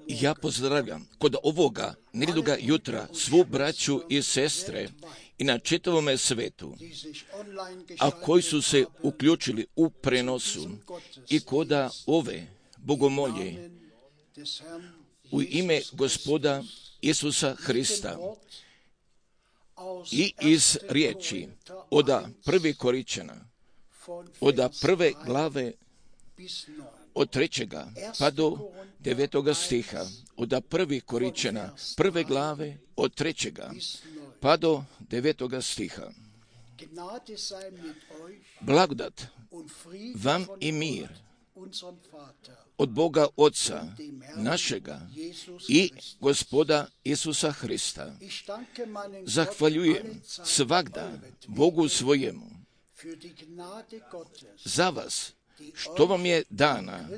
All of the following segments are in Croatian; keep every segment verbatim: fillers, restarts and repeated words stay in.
Ja pozdravljam kod ovoga nedjeljoga jutra svu braću i sestre i na čitavome svetu, a koji su se uključili u prenosu i koda ove bogomolje u ime Gospoda Isusa Hrista i iz riječi oda prvi Koričana, oda prve glave od trećega pa do devetoga stiha, oda prvi Koričana, prve glave od trećega pa do devetoga stiha. Blagodat vam i mir od Boga Otca našega i Gospoda Isusa Hrista. Zahvaljujem svagda Bogu svojemu za vas, što vam je dana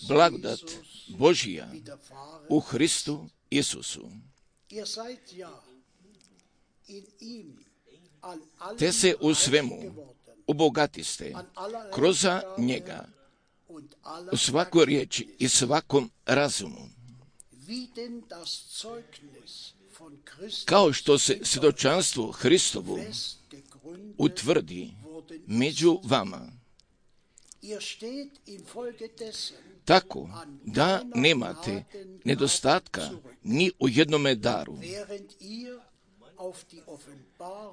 blagodat Božija u Hristu Isusu. Te se u svemu obogatiste kroz njega, u svakoj riječi i svakom razumu. Kao što se svjedočanstvo Hristovu utvrdi među vama, tako da nemate nedostatka ni u jednome daru.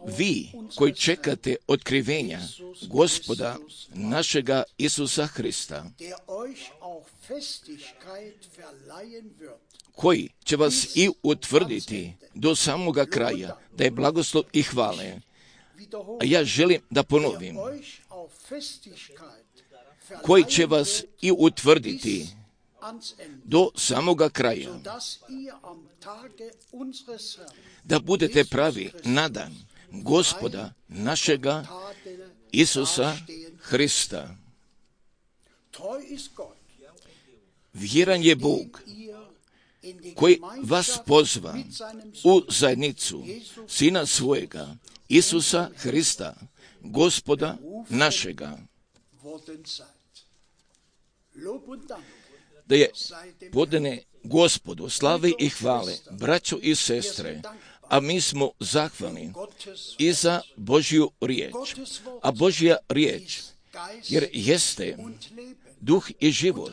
Vi koji čekate otkrivenja Gospoda našega Isusa Hrista, koji će vas i utvrditi do samoga kraja, da je blagoslov i hvale. A ja želim da ponovim, koji će vas i utvrditi do samoga kraja, da budete pravi na dan Gospoda našega Isusa Hrista. Vjeran je Bog koji vas pozva u zajednicu Sina svojega, Isusa Hrista, Gospoda našega. Da je podane Gospodu slave i hvale, braćo i sestre, a mi smo zahvalni i za Božju riječ. A Božja riječ, jer jeste duh i život,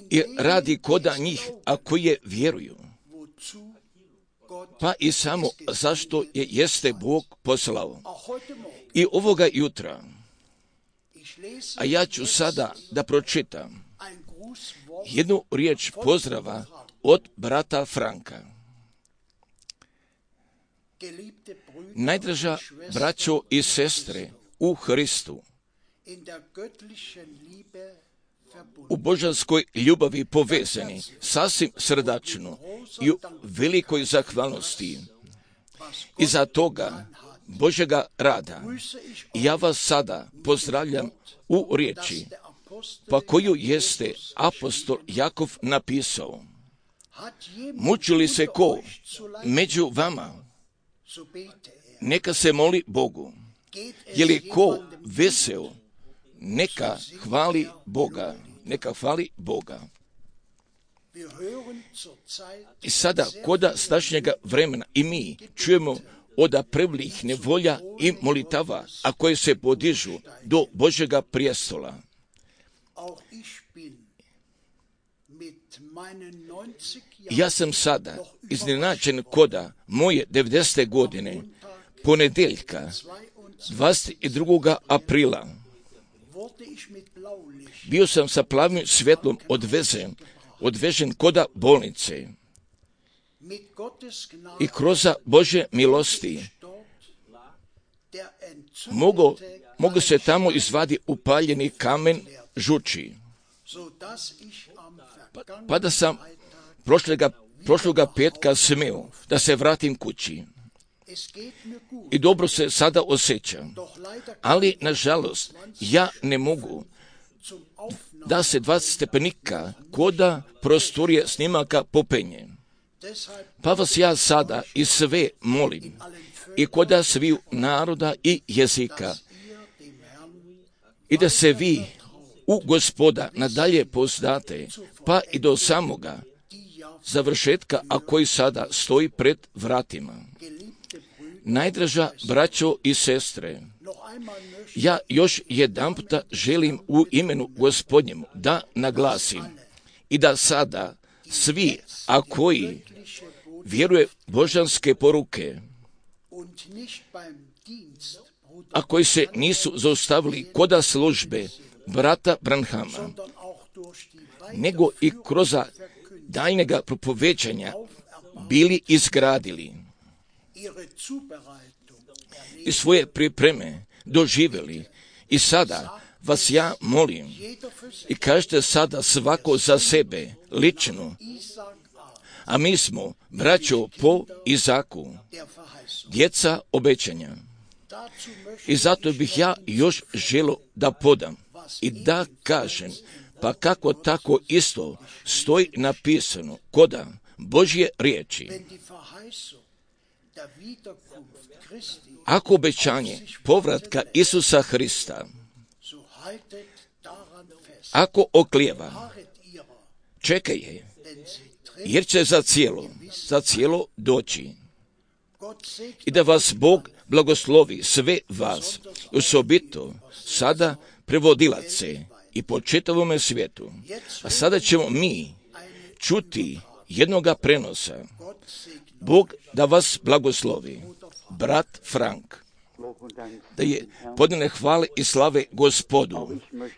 i radi koda njih, a koje vjeruju. Pa i samo zašto je jeste Bog poslao. I ovoga jutra, a ja ću sada da pročitam jednu riječ pozdrava od brata Franka. Najdraža braćo i sestre u Hristu, u božanskoj ljubavi povezani, sasvim srdačno i u velikoj zahvalnosti i za toga Božjega rada. Ja vas sada pozdravljam u riječi, pa koju jeste apostol Jakov napisao. Muči li se ko među vama, neka se moli Bogu. Je li ko vesel, neka hvali Boga. Neka hvali Boga. I sada, koda stašnjega vremena, i mi čujemo od prvih nevolja i molitava, a koje se podižu do Božjega prijestola. Ja sam sada iznenađen koda moje devedesete godine, ponedeljka, dvadeset drugog aprila. Bio sam sa plavim svjetlom odvezen, odvežen koda bolnice. I kroz Božje milosti mogu, mogu se tamo izvadi upaljeni kamen žuči. Pa, pa da sam prošloga, prošloga petka smio da se vratim kući. I dobro se sada osjećam. Ali, nažalost, ja ne mogu da se dvadeset stepenika koda prostorije snimaka popenje. Pa vas ja sada i sve molim, i koda sviju naroda i jezika, i da se vi u Gospoda nadalje pouzdate, pa i do samoga završetka, a koji sada stoji pred vratima. Najdraža braćo i sestre, ja još jedanputa želim u imenu Gospodnjemu da naglasim i da sada svi, a koji vjeruje božanske poruke, a koji se nisu zaustavili koda službe brata Branhama, nego i kroz daljnjega propovećanja bili izgradili i svoje pripreme doživjeli. I sada vas ja molim i kažete sada svako za sebe lično, a mi smo braćo po Izaku, djeca obećanja. I zato bih ja još želio da podam i da kažem, pa kako tako isto stoji napisano koda Božje riječi. Ako obećanje povratka Isusa Hrista, ako oklijeva, čekaj je, jer će za cijelo, za cijelo doći. I da vas Bog blagoslovi sve vas, osobito sada prevodilace i po čitavome svijetu. A sada ćemo mi čuti jednoga prenosa. Bog da vas blagoslovi. Brat Frank. Da je podane hvale i slave Gospodu.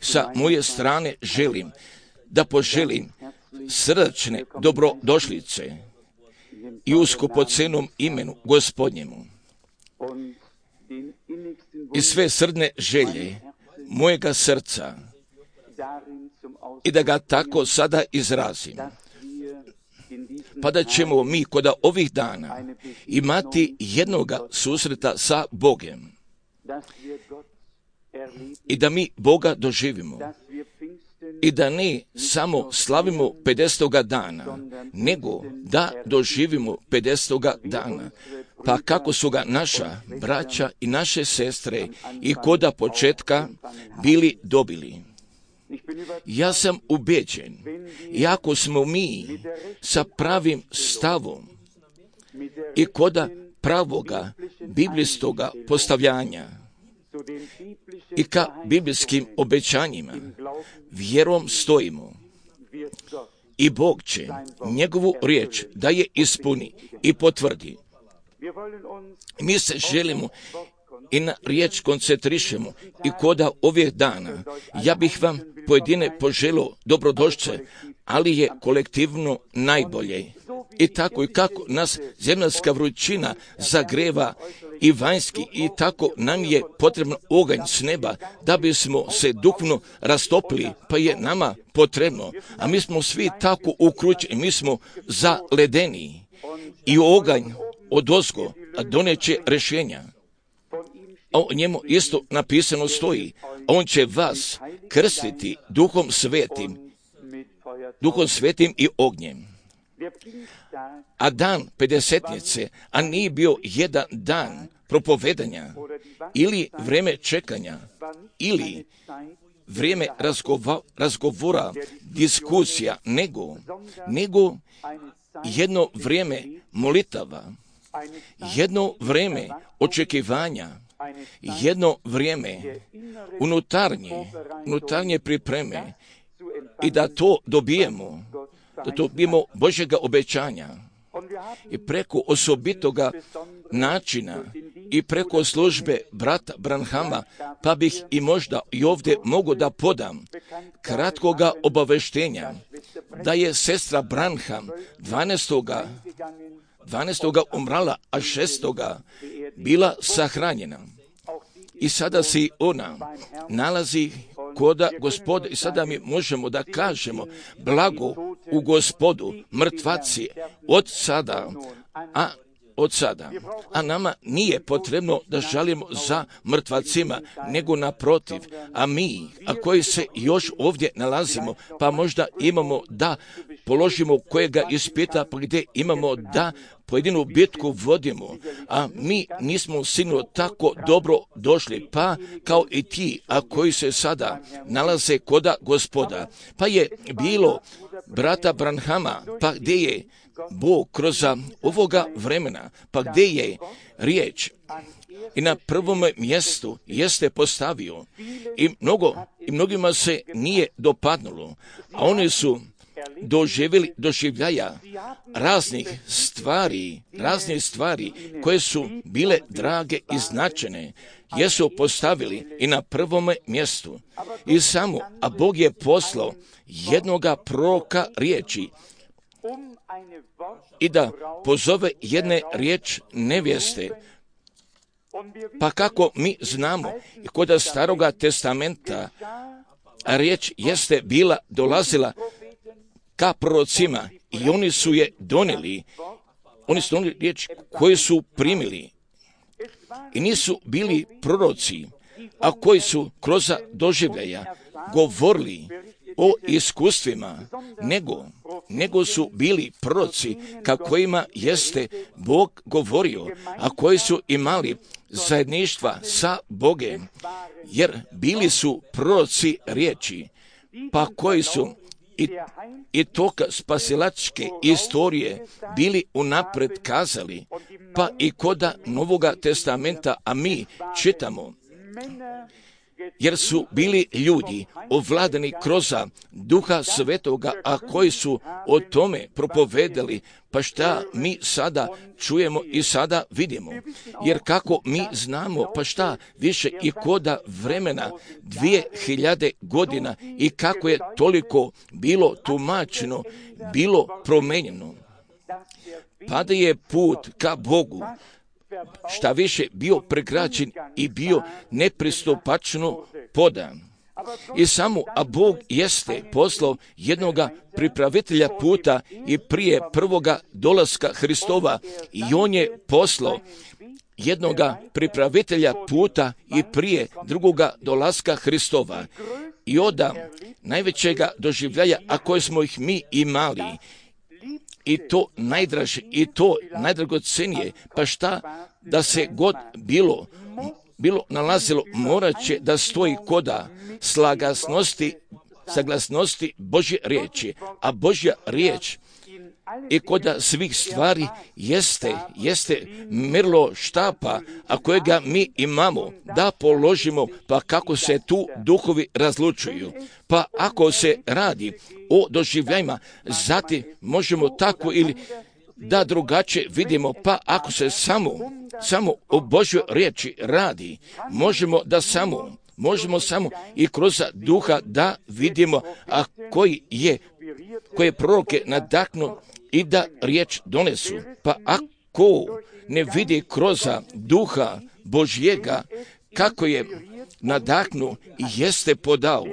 Sa moje strane želim da poželim srdačne dobrodošlice i u skupocenom imenu Gospodnjemu. I sve srdne želje mojega srca i da ga tako sada izrazim. Pa da ćemo mi kod ovih dana imati jednoga susreta sa Bogem i da mi Boga doživimo i da ne samo slavimo pedesetoga dana, nego da doživimo pedesetoga dana. Pa kako su ga naša braća i naše sestre i koda početka bili dobili. Ja sam ubeđen, iako smo mi sa pravim stavom i koda pravoga biblijskoga postavljanja i ka biblijskim obećanjima vjerom stojimo i Bog će njegovu riječ da je ispuni i potvrdi. Mi se želimo i na riječ koncentrišemo i koda ovih dana. Ja bih vam pojedine poželio dobrodošće, ali je kolektivno najbolje. I tako i kako nas zemaljska vrućina zagreva i vanjski, i tako nam je potrebno oganj s neba da bismo se duhovno rastopili, pa je nama potrebno. A mi smo svi tako ukrućeni, mi smo zaledeni i oganj odozgo doneće rješenja. A o njemu isto napisano stoji, on će vas krstiti duhom svetim, duhom svetim i ognjem. A dan pedesetnice, a nije bio jedan dan propovedanja, ili vrijeme čekanja, ili vrijeme razgova, razgovora, diskusija, nego, nego jedno vrijeme molitava, jedno vrijeme očekivanja, jedno vrijeme unutarnje, unutarnje pripreme i da to dobijemo, da to dobijemo Božjega obećanja i preko osobitoga načina i preko službe brata Branhama, pa bih i možda i ovdje mogu da podam kratkoga obaveštenja da je sestra Branham dvanaestoga dvanaestoga umrala, a šestoga bila sahranjena. I sada se ona nalazi koda Gospoda i sada mi možemo da kažemo blago u Gospodu, mrtvaci od sada, a od sada. A nama nije potrebno da žalimo za mrtvacima, nego naprotiv. A mi, a koji se još ovdje nalazimo, pa možda imamo da položimo kojega ispita, pa gdje imamo da pojedinu bitku vodimo, a mi nismo sigurno tako dobro došli, pa kao i ti, a koji se sada nalaze koda Gospoda. Pa je bilo brata Branhama, pa gdje je Bog kroz ovoga vremena, pa gdje je riječ i na prvom mjestu jeste postavio i, mnogo, i mnogima se nije dopadnulo, a oni su doživjeli doživljaja raznih stvari, raznih stvari koje su bile drage i značajne, jesu postavili i na prvom mjestu. I samo, a Bog je poslao jednoga proroka riječi i da pozove jedne riječ nevjeste. Pa kako mi znamo, kod Staroga testamenta riječ jeste bila, dolazila ka prorocima i oni su je donijeli, oni su donijeli riječ koju su primili. I nisu bili proroci, a koji su kroz doživljaja govorili o iskustvima, nego, nego su bili proroci ka kojima jeste Bog govorio, a koji su imali zajedništva sa Bogem, jer bili su proroci riječi, pa koji su i, i toka spasilačke istorije bili unapred kazali, pa i koda Novoga testamenta, a mi čitamo, jer su bili ljudi ovladani kroz Duha Svetoga, a koji su o tome propovedali, pa šta mi sada čujemo i sada vidimo. Jer kako mi znamo, pa šta više i koda vremena dvije hiljade godina i kako je toliko bilo tumačeno, bilo promenjeno. Pa da je put ka Bogu šta više bio pregrađen i bio nepristupačno podan. I samo, a Bog jeste poslao jednoga pripravitelja puta i prije prvoga dolaska Hristova, i on je poslao jednoga pripravitelja puta i prije drugoga dolaska Hristova. I oda najvećega doživljaja, a koje smo ih mi imali, i to najdraže, i to najdragocenije, pa šta da se god bilo, bilo nalazilo, morat će da stoji koda slagasnosti, saglasnosti Božje riječi, a Božja riječ i koda svih stvari jeste, jeste mrlo štapa, a kojega mi imamo, da položimo, pa kako se tu duhovi razlučuju. Pa ako se radi o doživljajima, zatim možemo tako ili da drugačije vidimo, pa ako se samo, samo o Božjoj riječi radi, možemo da samo, možemo samo i kroz duha da vidimo, a koji je, koje proroke nadahnu i da riječ donesu. Pa ako ne vidi kroz duha Božjega kako je nadahnu i jeste podao,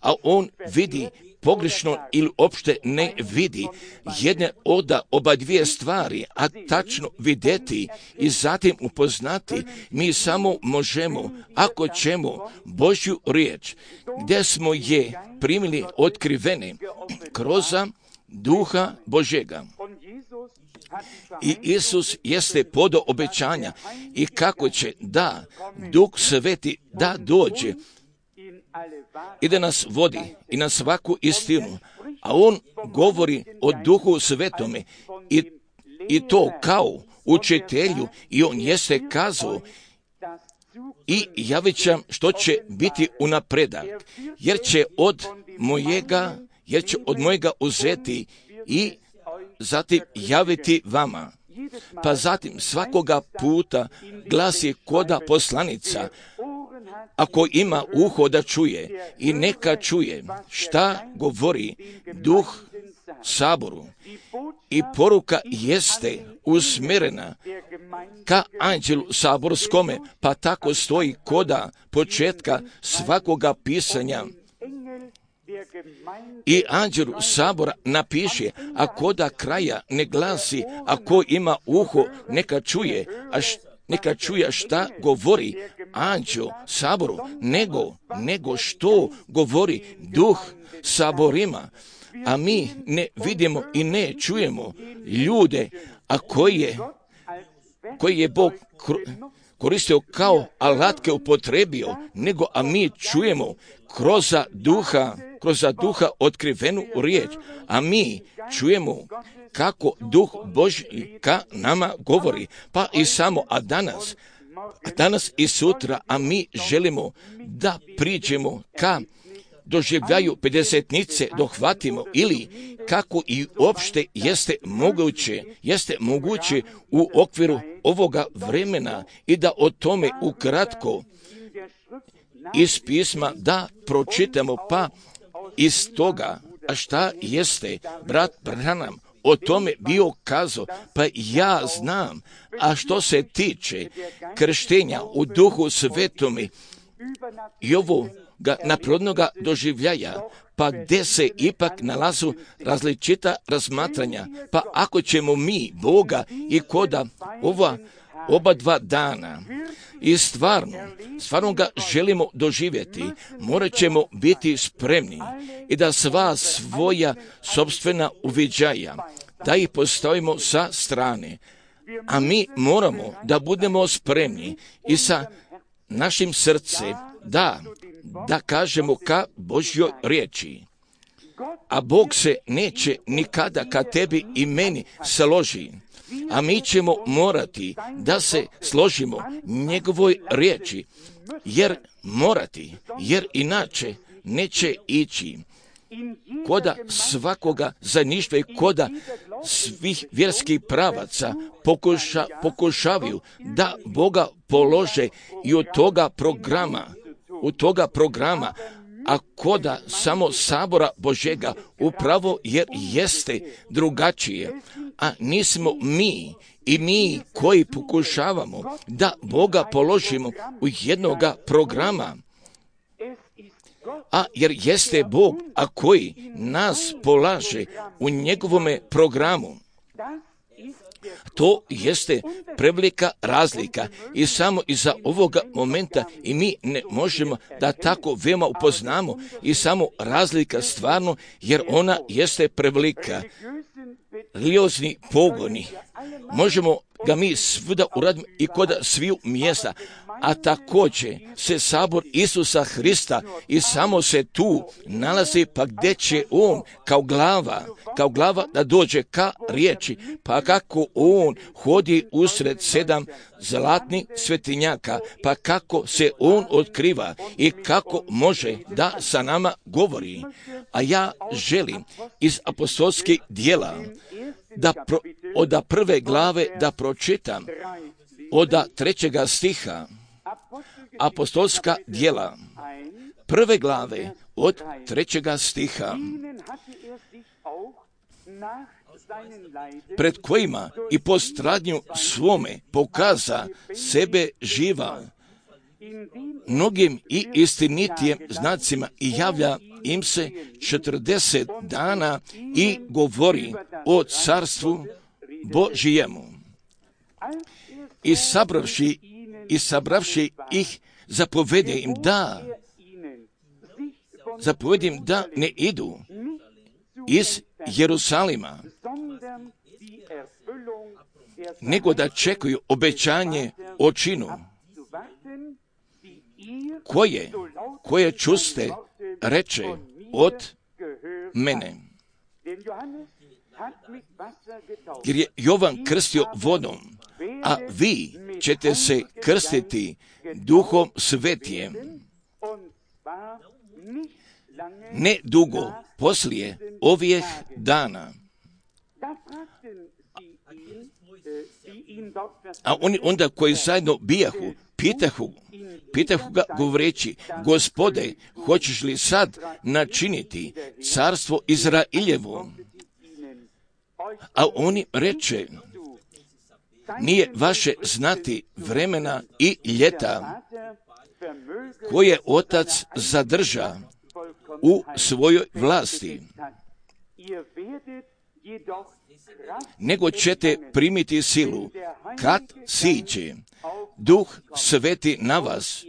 a on vidi pogrešno ili opšte ne vidi jedne oda oba dvije stvari, a tačno vidjeti i zatim upoznati, mi samo možemo, ako ćemo Božju riječ, gdje smo je primili otkrivene kroz duha Božjega. I Isus jeste podao obećanja i kako će da Duh Sveti da dođe i da nas vodi i na svaku istinu, a on govori o Duhu Svetome i, i to kao učitelju, i on jeste kazao i javit će što će biti unapredak, jer će od mojega, jer će od mojega uzeti i zatim javiti vama. Pa zatim svakoga puta glasi koda poslanica, ako ima uho da čuje, i neka čuje šta govori Duh Saboru. I poruka jeste usmjerena ka anđelu saborskome, pa tako stoji koda početka svakoga pisanja. I anđelu sabora napiše, a koda kraja ne glasi, ako ima uho neka čuje, a š, neka čuje šta govori anđel saboru, nego, nego što govori Duh saborima. a mi ne vidimo i ne čujemo ljude, a koji je, koji je Bog koristio kao alatke upotrebio, nego a mi čujemo kroz duha, kroz duha otkrivenu riječ, a mi čujemo kako Duh Božji ka nama govori, pa i samo, a danas, a danas i sutra, a mi želimo da priđemo ka doživljaju pedesetnice, dohvatimo, ili kako i uopšte jeste moguće, jeste moguće u okviru ovoga vremena i da o tome ukratko iz pisma da pročitamo, pa iz toga, a šta jeste brat Branham o tome bio kazao, pa ja znam, a što se tiče krštenja u Duhu Svetome i ovoga naprodnoga doživljaja, pa gdje se ipak nalazu različita razmatranja, pa ako ćemo mi Boga i koda ova oba dva dana i stvarno, stvarno ga želimo doživjeti, morat ćemo biti spremni i da sva svoja sopstvena uviđaja, da ih postavimo sa strane, a mi moramo da budemo spremni i sa našim srcem da, da kažemo ka Božjoj riječi. A Bog se neće nikada ka tebi i meni složi, a mi ćemo morati da se složimo njegovoj riječi, jer morati, jer inače neće ići. Koda svakoga zajedništva i koda svih vjerskih pravaca pokuša, pokušavaju da Boga polože i od toga programa, u toga programa, a koda samo sabora Božjega upravo jer jeste drugačije, a nismo mi i mi koji pokušavamo da Boga položimo u jednoga programa, a jer jeste Bog, a koji nas polaže u njegovome programu. To jeste prevelika razlika i samo iza ovoga momenta i mi ne možemo da tako veoma upoznamo i samo razlika stvarno, jer ona jeste prevelika. Religiozni pogoni, možemo ga mi svuda uradimo i kod sviju mjesta, a također se sabor Isusa Hrista i samo se tu nalazi, pa gdje će on kao glava, kao glava da dođe ka riječi, pa kako on hodi usred sedam zlatnih svetinjaka, pa kako se on otkriva i kako može da sa nama govori. A ja želim iz apostolskih dijela da pro, od prve glave da pročitam od trećega stiha, apostolska dijela prve glave od trećega stiha, pred kojima i po stradnju svome pokaza sebe živa mnogim i istinitijem znacima i javlja im se četrdeset dana i govori o carstvu Božijemu. I sabravši, i sabravši ih, zapovede im da, zapovede im da ne idu iz Jerusalima, nego da čekaju obećanje o činu, koje, koje čuste reče od mene. Jer je Jovan krstio vodom, a vi ćete se krstiti Duhom Svetijem. Ne dugo poslije ovih dana. A oni onda koji zajedno bijahu, pitahu, pitahu ga govoreći, Gospode, hoćeš li sad načiniti carstvo Izrailjevo? A oni reče, nije vaše znati vremena i ljeta koje Otac zadrža u svojoj vlasti, nego ćete primiti silu kad siđe Duh Sveti na vas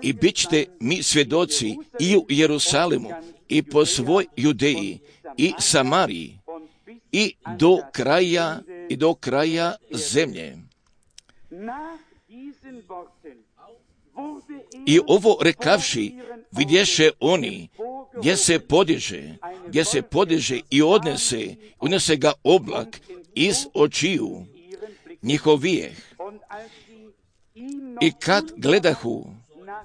i bit ćete mi svjedoci i u Jerusalimu i po svoj Judeji i Samariji i do kraja i do kraja zemlje. I ovo rekavši, vidješe oni gdje se podiže, gdje se podiže i odnese, unese ga oblak iz očiju njihovijeh. I kad gledahu,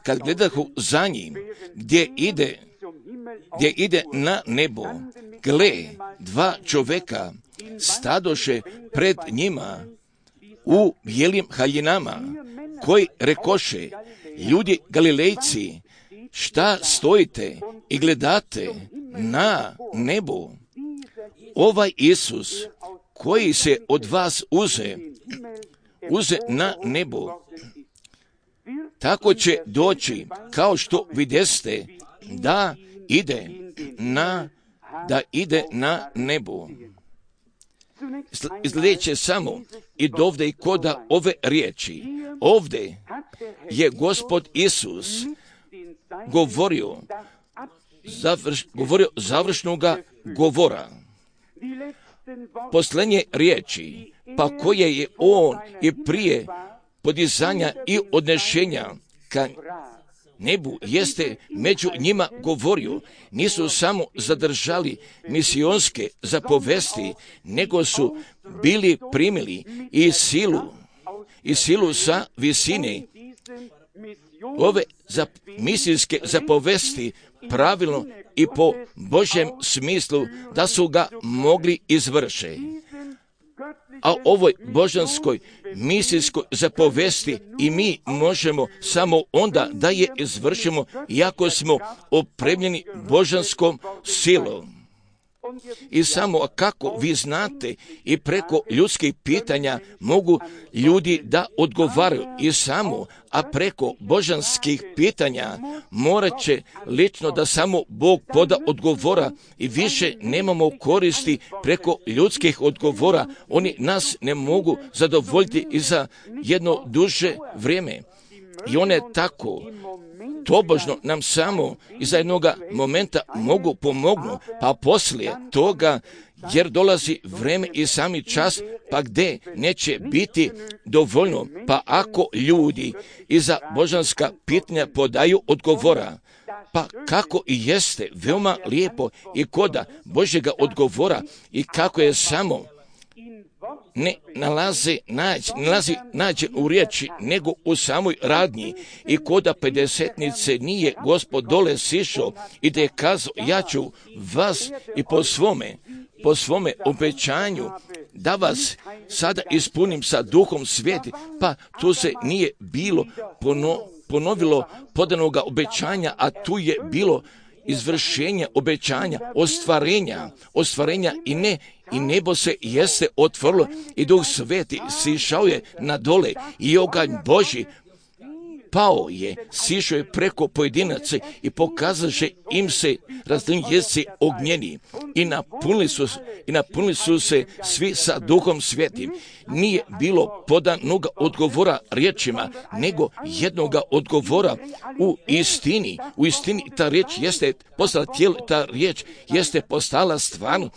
kad gledahu za njim, gdje ide, gdje ide na nebo, gle, dva čovjeka stadoše pred njima u bijelim haljinama, koji rekoše, ljudi Galilejci, šta stojite i gledate na nebo? Ovaj Isus, koji se od vas uze, uze na nebo, tako će doći, kao što videste, da ide na, da ide na nebo. Izgledeće samo i dovde i koda ove riječi. Ovde je Gospod Isus govorio, završ, govorio završnoga govora. Posljednje riječi, pa koje je on i prije podizanja i odnešenja ka nebu jeste među njima govorio, nisu samo zadržali misionske zapovesti, nego su bili primili i silu, i silu sa visine. Ove za, misijske zapovesti pravilno i po Božjem smislu da su ga mogli izvršiti. A ovoj božanskoj misijskoj zapovesti i mi možemo samo onda da je izvršimo, iako smo opremljeni božanskom silom. I samo kako vi znate i preko ljudskih pitanja mogu ljudi da odgovaraju i samo, a preko božanskih pitanja morat će lično da samo Bog poda odgovora i više nemamo koristi preko ljudskih odgovora. Oni nas ne mogu zadovoljiti i za jedno duže vrijeme. I one tako tobožno nam samo iza jednoga momenta mogu pomognu, pa poslije toga, jer dolazi vrijeme i sami čas, pa gdje neće biti dovoljno, pa ako ljudi iza božanska pitanja podaju odgovora, pa kako i jeste veoma lijepo i koda Božjega odgovora i kako je samo ne nalazi nađe, nalazi nađe u riječi, nego u samoj radnji. I koda pedesetnice nije Gospod dole sišao i da je kazao, ja ću vas i po svome, po svome obećanju da vas sada ispunim sa Duhom Sveti, pa tu se nije bilo pono, ponovilo podanoga obećanja, a tu je bilo izvršenje obećanja, ostvarenja, ostvarenja i ne i nebo se jeste otvorilo i Duh Sveti sišao je na dole i oganj Božji pao je, sišao je preko pojedinaca i pokazaše im se različni jezici ognjeni i napunili su, i napunili su se svi sa Duhom Svetim. Nije bilo podanog odgovora riječima, nego jednoga odgovora u istini. U istini ta riječ jeste postala tijelo, ta riječ jeste postala stvarno.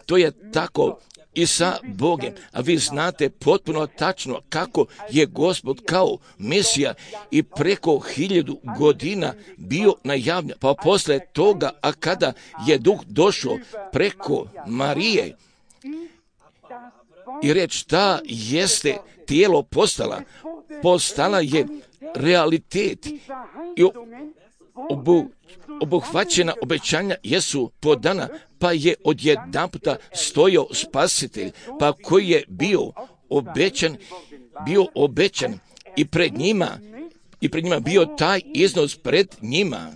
To je tako i sa Bogem, a vi znate potpuno tačno kako je Gospod kao Mesija i preko hiljadu godina bio najavljen, pa posle toga, a kada je Duh došao preko Marije i reč ta jeste tijelo postala, postala je realitet i obu, obuhvaćena obećanja jesu podana, pa je odjedanputa stojao Spasitelj, pa koji je bio obećan, bio obećan i pred njima, i pred njima bio taj iznos pred njima.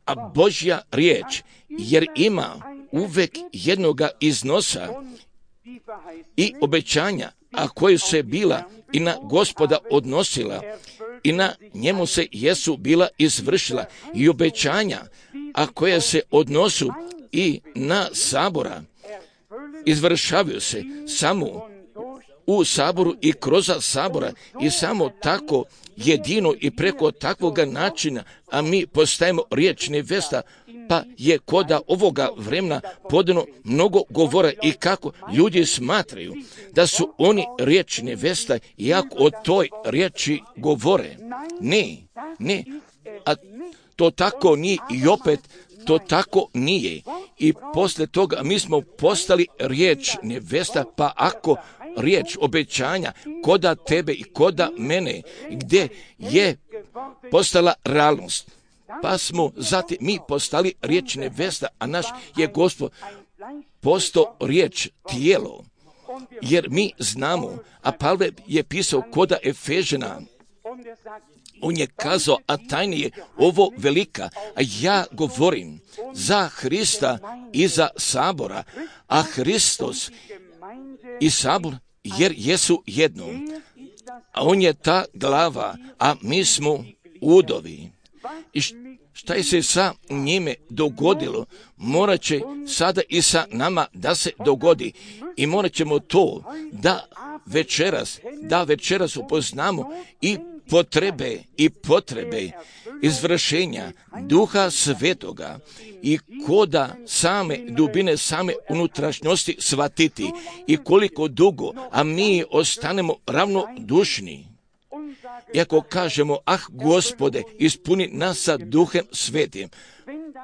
A Božja riječ, jer ima uvek jednoga iznosa i obećanja, a koje se bila i na Gospoda odnosila, i na njemu se jesu bila izvršila i obećanja, a koje se odnosu i na sabora, izvršavaju se samo u saboru i kroz sabora i samo tako jedino i preko takvoga načina, a mi postajemo riječ nevesta pa je koda ovoga vremena podano mnogo govora i kako ljudi smatraju da su oni riječ nevesta, iako o toj riječi govore. Ne, ne, a to tako nije i opet to tako nije. I poslije toga mi smo postali riječ nevesta, pa ako riječ obećanja koda tebe i koda mene, gdje je postala realnost, pa smo zatim mi postali riječ nevesta, a naš je Gospod postao riječ tijelo, jer mi znamo, a Pavle je pisao koda Efežana, on je kazao, a tajna je ovo velika, a ja govorim za Hrista i za Sabora, a Hristos i Sabor jer jesu jedno, a on je ta glava, a mi smo udovi. I šta je se sa njime dogodilo, morat će sada i sa nama da se dogodi. I morat ćemo to da večeras, da večeras upoznamo i potrebe i potrebe izvršenja Duha Svetoga i koda same dubine, same unutrašnjosti shvatiti i koliko dugo, a mi ostanemo ravnodušni. Iako kažemo, ah Gospode, ispuni nas sa Duhem Svetim,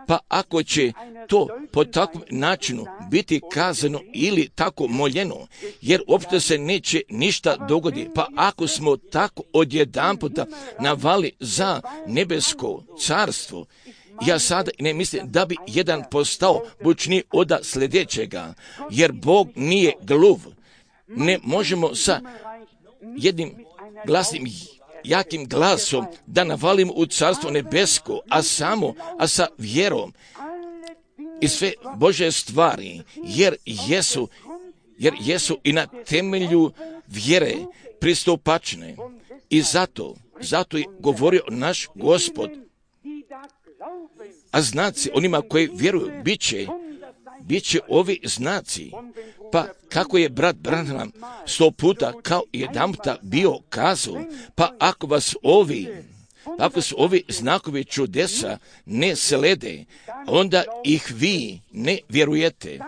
pa ako će to po takvom načinu biti kazano ili tako moljeno, jer uopšte se neće ništa dogoditi, pa ako smo tako odjedanputa navali za nebesko carstvo, ja sada ne mislim da bi jedan postao bučniji od sljedećega, jer Bog nije gluv. Ne možemo sa jednim glasnim jakim glasom da navalimo u carstvo nebesko, a samo, a sa vjerom i sve Božje stvari, jer jesu, jer jesu i na temelju vjere pristupačne. I zato, zato je govorio naš Gospod, a znaci onima koji vjeruju bit će, bit će ovi znaci. Pa kako je brat Branham sto puta kao jedanputa bio kazao, pa ako vas ovi, pa ako su ovi znakovi čudesa ne slede, onda ih vi ne vjerujete.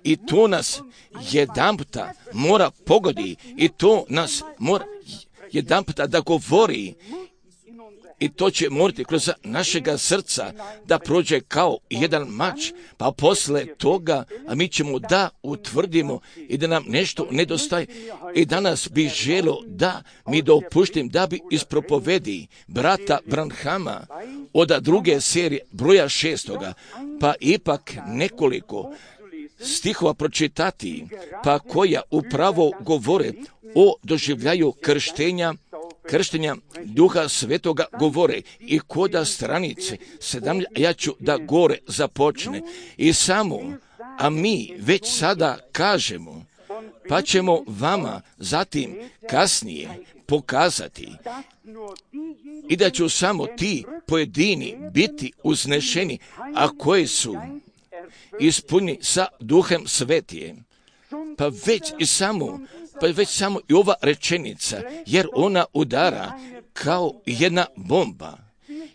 I to nas jedanputa mora pogodi i to nas mora jedanputa da govori. I to će morati kroz našega srca da prođe kao jedan mač, pa posle toga, a mi ćemo da utvrdimo i da nam nešto nedostaje. I danas bih želio da mi dopuštim da bi ispropovedi brata Branhama od druge serije broja šestoga, pa ipak nekoliko stihova pročitati, pa koja upravo govore o doživljaju krštenja, krštenja Duha Svetoga govore i koda stranice sedam, ja ću da gore započne. I samo, a mi već sada kažemo, pa ćemo vama zatim kasnije pokazati i da ću samo ti pojedini biti uznešeni, a koji su ispunjeni sa Duhem Svetijem. Pa već i samo Pa već samo i ova rečenica, jer ona udara kao jedna bomba.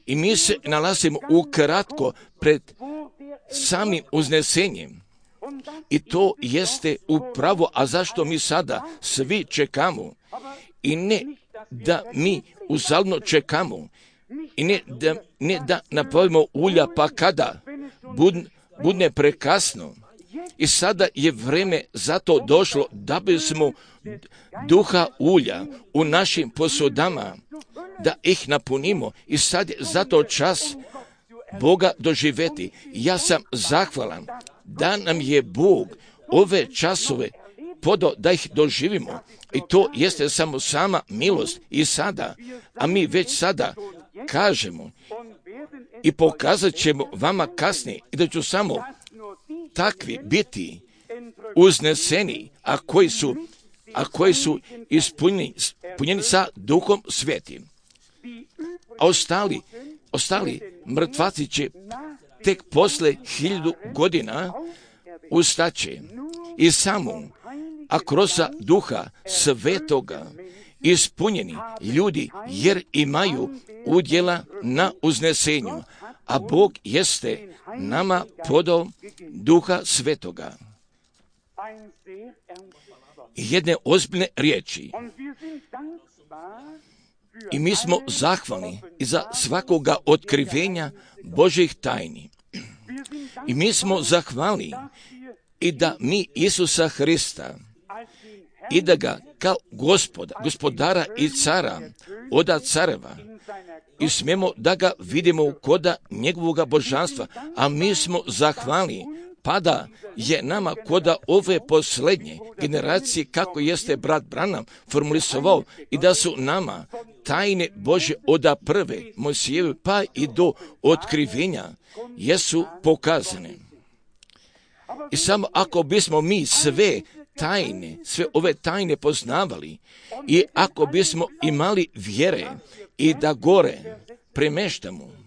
I mi se nalazimo ukratko pred samim uznesenjem. I to jeste upravo, a zašto mi sada svi čekamo? I ne da mi uzaludno čekamo. I ne da, ne da napravimo ulja, pa kada bud, budne prekasno. I sada je vreme za to došlo da bismo duha ulja u našim posudama, da ih napunimo. I sad je zato čas Boga doživjeti. Ja sam zahvalan da nam je Bog ove časove podao da ih doživimo. I to jeste samo sama milost i sada. A mi već sada kažemo i pokazat ćemo vama kasnije i da ću samo takvi biti uzneseni, a koji su, a koji su ispunjeni, ispunjeni sa Duhom Svetim. A ostali, ostali mrtvaci će tek posle hiljadu godina ustaće i samo, a kroz Duha Svetoga ispunjeni ljudi, jer imaju udjela na uznesenju. a Bog jeste nama podao Duha Svetoga. Jedne ozbiljne riječi. I mi smo zahvalni i za svakoga otkrivenja Božjih tajni. I mi smo zahvalni i da mi Isusa Hrista i da ga kao gospoda, gospodara i cara, oda careva, i smijemo da ga vidimo koda njegovoga božanstva, a mi smo zahvalni pa da je nama koda ove posljednje generacije, kako jeste brat Branham formulisovao, i da su nama tajne Božje oda prve Mojsijeve pa i do otkrivenja jesu pokazane. I samo ako bismo mi sve tajne, sve ove tajne poznavali i ako bismo imali vjere i da gore premeštamo,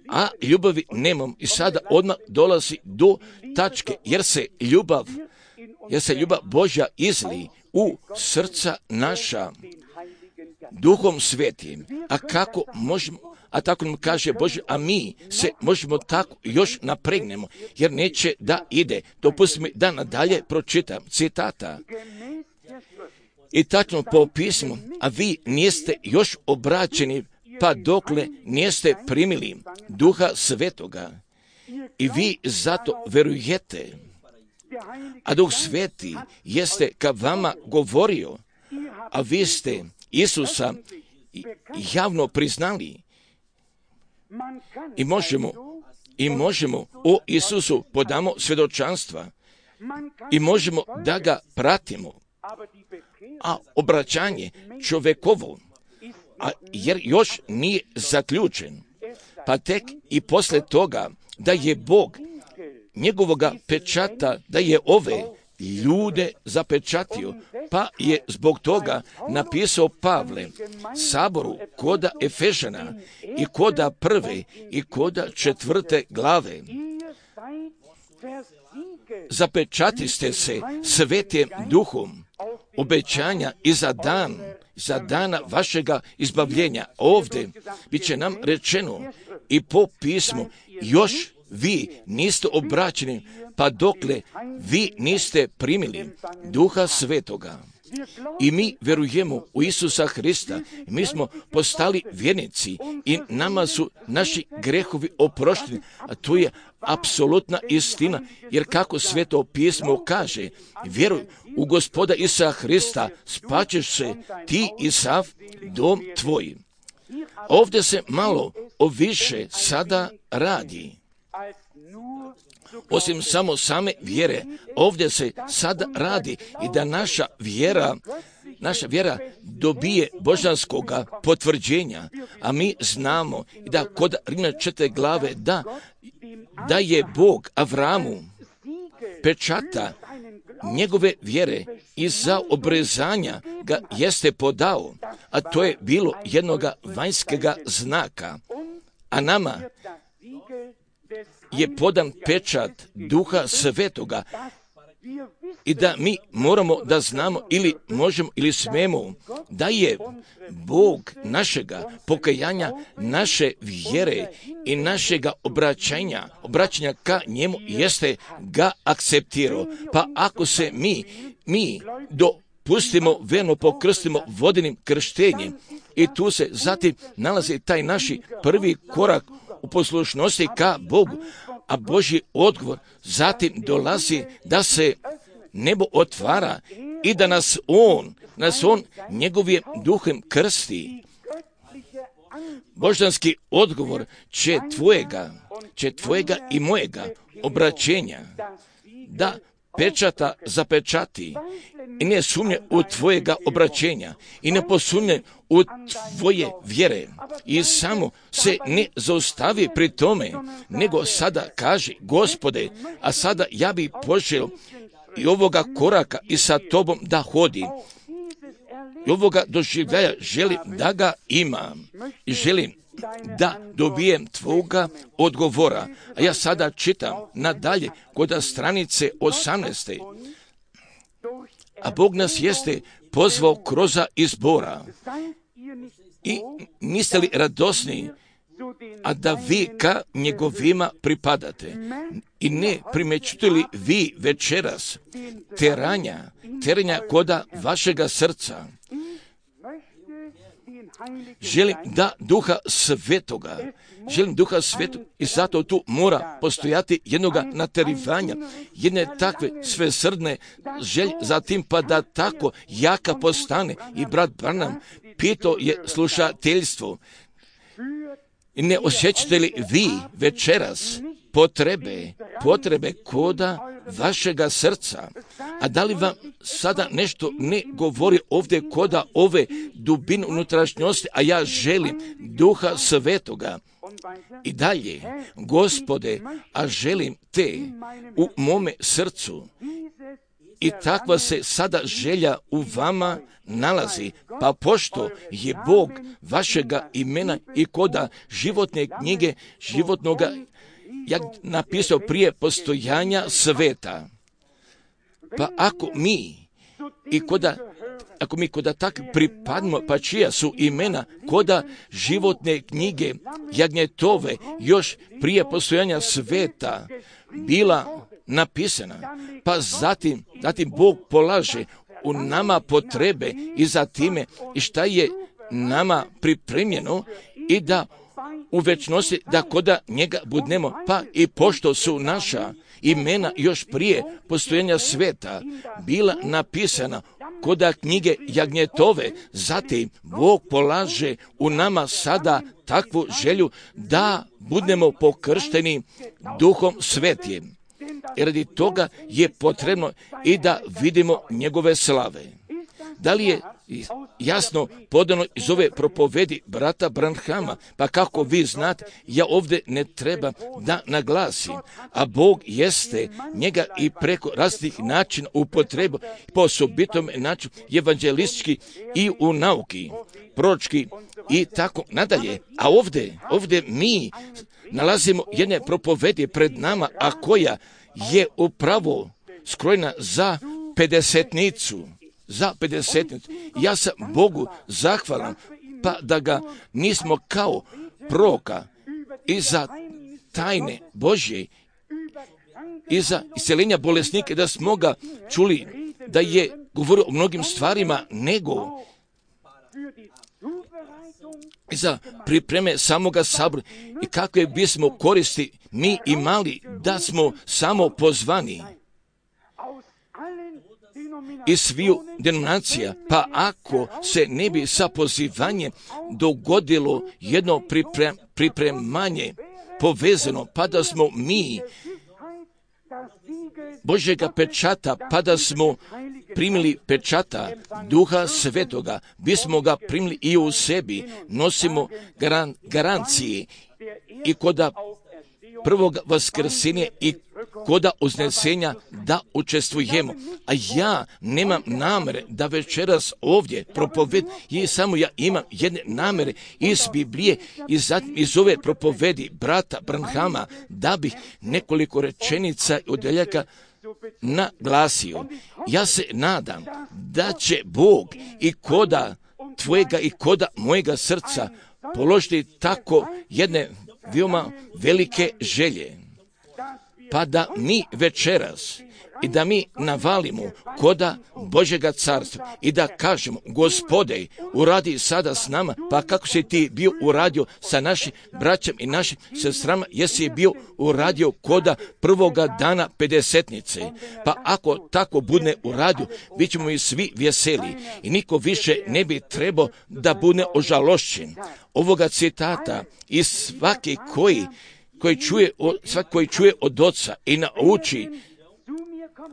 a ljubavi nemam, i sada odmah dolazi do tačke, jer se ljubav, jer se ljubav Božja izli u srca naša Duhom Svetim. A kako možemo, a tako nam kaže Bože, a mi se možemo tako još napregnemo, jer neće da ide. Dopustite mi da nadalje pročitam citata. I tačno po pismu, a vi niste još obraćeni, pa dokle niste primili Duha Svetoga, i vi zato verujete, a Duh Sveti jeste ka vama govorio, a vi ste Isusa javno priznali. I možemo, i možemo o Isusu podamo svjedočanstva i možemo da ga pratimo, a obraćanje čovjekovo, a jer još nije zaključen, pa tek i posle toga da je Bog njegovoga pečata, da je ove ljude zapečatio, pa je zbog toga napisao Pavle saboru koda Efežana i koda prve i koda četvrte glave. Zapečatiste se Svetim Duhom obećanja i za dan, za dana vašega izbavljenja. Ovdje bit će nam rečeno i po pismu, još vi niste obraćeni, pa dokle vi niste primili Duha Svetoga. I mi verujemo u Isusa Hrista, mi smo postali vjernici i nama su naši grehovi oprošteni, a to je apsolutna istina, jer kako Sveto pismo kaže, vjeruj u Gospoda Isusa Hrista, spaćeš se ti i sav dom tvoj. Ovdje se malo o više sada radi. Osim samo same vjere, ovdje se sada radi i da naša vjera, naša vjera dobije božanskoga potvrđenja, a mi znamo da kod Rimljana četvrte glave da, da je Bog Avramu pečata njegove vjere i za obrezanja ga jeste podao, a to je bilo jednoga vanjskega znaka, a nama je podan pečat Duha Svetoga i da mi moramo da znamo ili možemo ili smemo da je Bog našega pokajanja, naše vjere i našega obraćanja, obraćanja ka njemu jeste ga akceptirao. Pa ako se mi, mi dopustimo, verno pokrstimo vodenim krštenjem i tu se zatim nalazi taj naši prvi korak u poslušnosti ka Bogu, a Božji odgovor zatim dolazi da se nebo otvara i da nas On, nas On njegovim duhem krsti. Božanski odgovor će tvojega, će tvojega i mojega obraćenja da pečata zapečati i ne sumnje u tvojega obraćenja i ne posumnje u tvoje vjere i samo se ne zaustavi pri tome, nego sada kaže, Gospode, a sada ja bi poželio i ovoga koraka i sa tobom da hodim. I ovoga doživljaja želim da ga imam i želim da dobijem tvoga odgovora. A ja sada čitam nadalje kod stranice osamnaeste. A Bog nas jeste pozvao kroz izbora. I niste li radosni a da vi ka njegovima pripadate. I ne primećujete li vi večeras teranja, teranja koda vašega srca? Želim da Duha Svetoga, želim Duha Svetog i zato tu mora postojati jednoga naterivanja, jedne takve svesrdne želje, zatim pa da tako jaka postane. I brat Branham pitao je slušateljstvo, ne osjećate li vi večeras potrebe, potrebe koda vašega srca? A da li vam sada nešto ne govori ovdje koda ove dubine unutrašnjosti, a ja želim Duha Svetoga? I dalje, Gospode, a želim te u mome srcu. I takva se sada želja u vama nalazi, pa pošto je Bog vašega imena i koda životne knjige, životnoga, jak napisao prije postojanja sveta. Pa ako mi i koda, ako mi koda tak pripadimo, pa čija su imena koda životne knjige jagnjetove još prije postojanja sveta bila napisana, pa zatim, zatim Bog polaže u nama potrebe i zatime i šta je nama pripremljeno i da u večnosti da koda njega budnemo, pa i pošto su naša imena još prije postojanja sveta bila napisana koda knjige jagnjetove, zatim Bog polaže u nama sada takvu želju da budemo pokršteni Duhom Svetim. I radi toga je potrebno i da vidimo njegove slave. Da li je jasno podano iz ove propovedi brata Branhama? Pa kako vi znate, ja ovdje ne treba da naglasim, a Bog jeste njega i preko različitih načina upotrebu, po osobitom načinu evanđelistički i u nauki, proročki i tako nadalje. A ovdje, ovdje mi nalazimo jedne propovedi pred nama, a koja je upravo skrojena za pedesetnicu. Za pedesetnicu. Ja sam Bogu zahvalan, pa da ga nismo kao proroka i za tajne Božje i za isceljenja bolesnike, da smo ga čuli da je govorio o mnogim stvarima, nego i za pripreme samoga sabora i kakve bismo koristi mi imali da smo samo pozvani iz sviju denominacija, pa ako se ne bi sa pozivanjem dogodilo jedno priprem, pripremanje povezano, pa da smo mi Božjega pečata, pa da smo primili pečata Duha Svetoga, bismo ga primili i u sebi, nosimo garan, garancije i koda prvog vaskrsenja i koda uznesenja da učestvujemo. A ja nemam namere da večeras ovdje propoved, i samo ja imam jedne namere iz Biblije i zatim iz ove propovedi brata Branhama, da bih nekoliko rečenica i odeljaka naglasio. Ja se nadam da će Bog i koda tvojega i koda mojega srca položiti tako jedne veoma velike želje, pa da mi večeras i da mi navalimo koda Božjega carstva i da kažemo, Gospode, uradi sada s nama, pa kako si ti bio uradio sa našim braćom i našim sestrama, jesi bio uradio koda prvoga dana pedesetnice. Pa ako tako bude uradio, bit ćemo i svi veseli i niko više ne bi trebao da bude ožalošćen. Ovoga citata i svaki koji koji čuje, svaki koji čuje od Oca i nauči,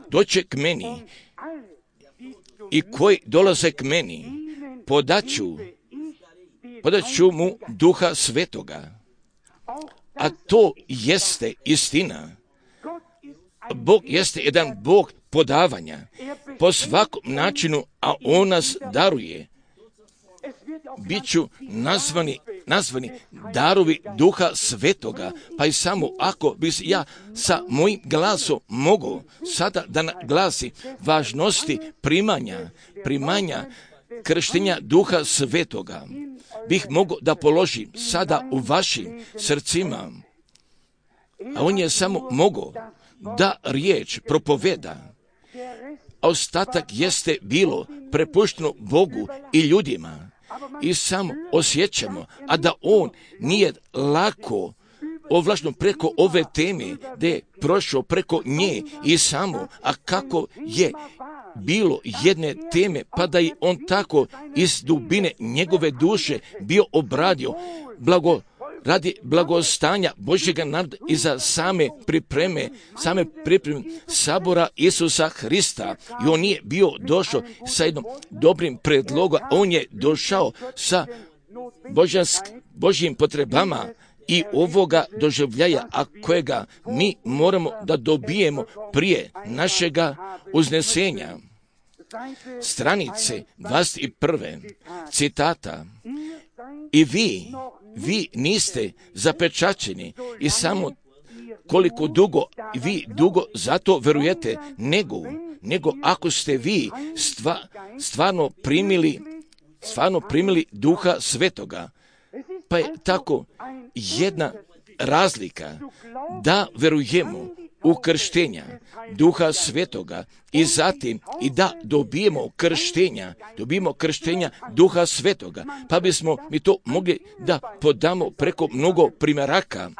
doće k meni, i koji dolaze k meni, podaću, podaću mu Duha Svetoga. A to jeste istina. Bog jeste jedan Bog podavanja po svakom načinu, a On nas daruje. Biću nazvani, nazvani darovi Duha Svetoga, pa i samo ako bi ja sa mojim glasom mogao sada da naglasi važnosti primanja, primanja krštenja Duha Svetoga bih mogao da položim sada u vašim srcima, a on je samo mogao da riječ propoveda, a ostatak jeste bilo prepušteno Bogu i ljudima. I samo osjećamo, a da on nije lako ovlašno preko ove teme, da je prošao preko nje i samo, a kako je bilo jedne teme, pa da je on tako iz dubine njegove duše bio obradio blago, radi blagostanja Božjega naroda i za same pripreme, same pripreme sabora Isusa Hrista. I on nije bio došao sa jednom dobrim predlogom, on je došao sa božansk, Božjim potrebama i ovoga doživljaja, a kojega mi moramo da dobijemo prije našega uznesenja. Stranice dvadeset prve citata. I vi, vi niste zapečaćeni i samo koliko dugo vi dugo zato verujete, nego, nego ako ste vi stva, stvarno primili, stvarno primili Duha Svetoga. Pa je tako jedna razlika da verujemo u krštenja Duha Svetoga i zatim i da dobijemo krštenja, dobijemo krštenja Duha Svetoga, pa bismo mi to mogli da podamo preko mnogo primjeraka.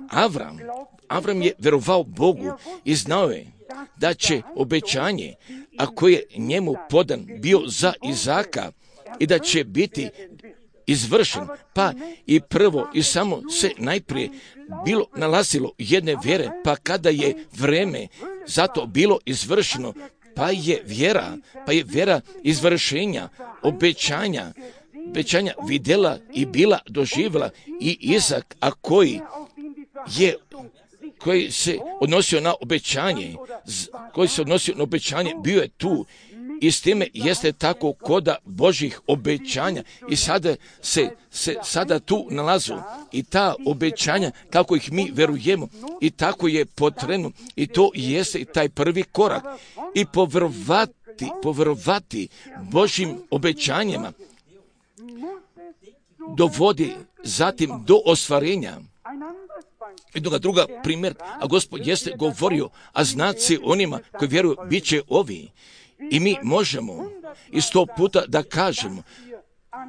Avram, Avram je verovao Bogu i znao je da će obećanje, a koje je njemu podan bio za Izaka i da će biti izvršen, pa i prvo i samo se najprije bilo nalazilo jedne vjere, pa kada je vreme zato bilo izvršeno, pa je vjera, pa je vjera izvršenja, obećanja, obećanja vidjela i bila doživjela i Izak, a koji je koji se odnosio na obećanje, koji se odnosio na obećanje, bio je tu. I s time jeste tako koda Božih obećanja i sada se, se sada tu nalazu i ta obećanja kako ih mi verujemo i tako je potrebno i to jeste i taj prvi korak i povjerovati, povjerovati Božim obećanjima dovodi zatim do ostvarenja. Jednoga druga primjer, a Gospod jeste govorio, a znaci onima koji vjeruju bit će ovi. I mi možemo i sto puta da kažemo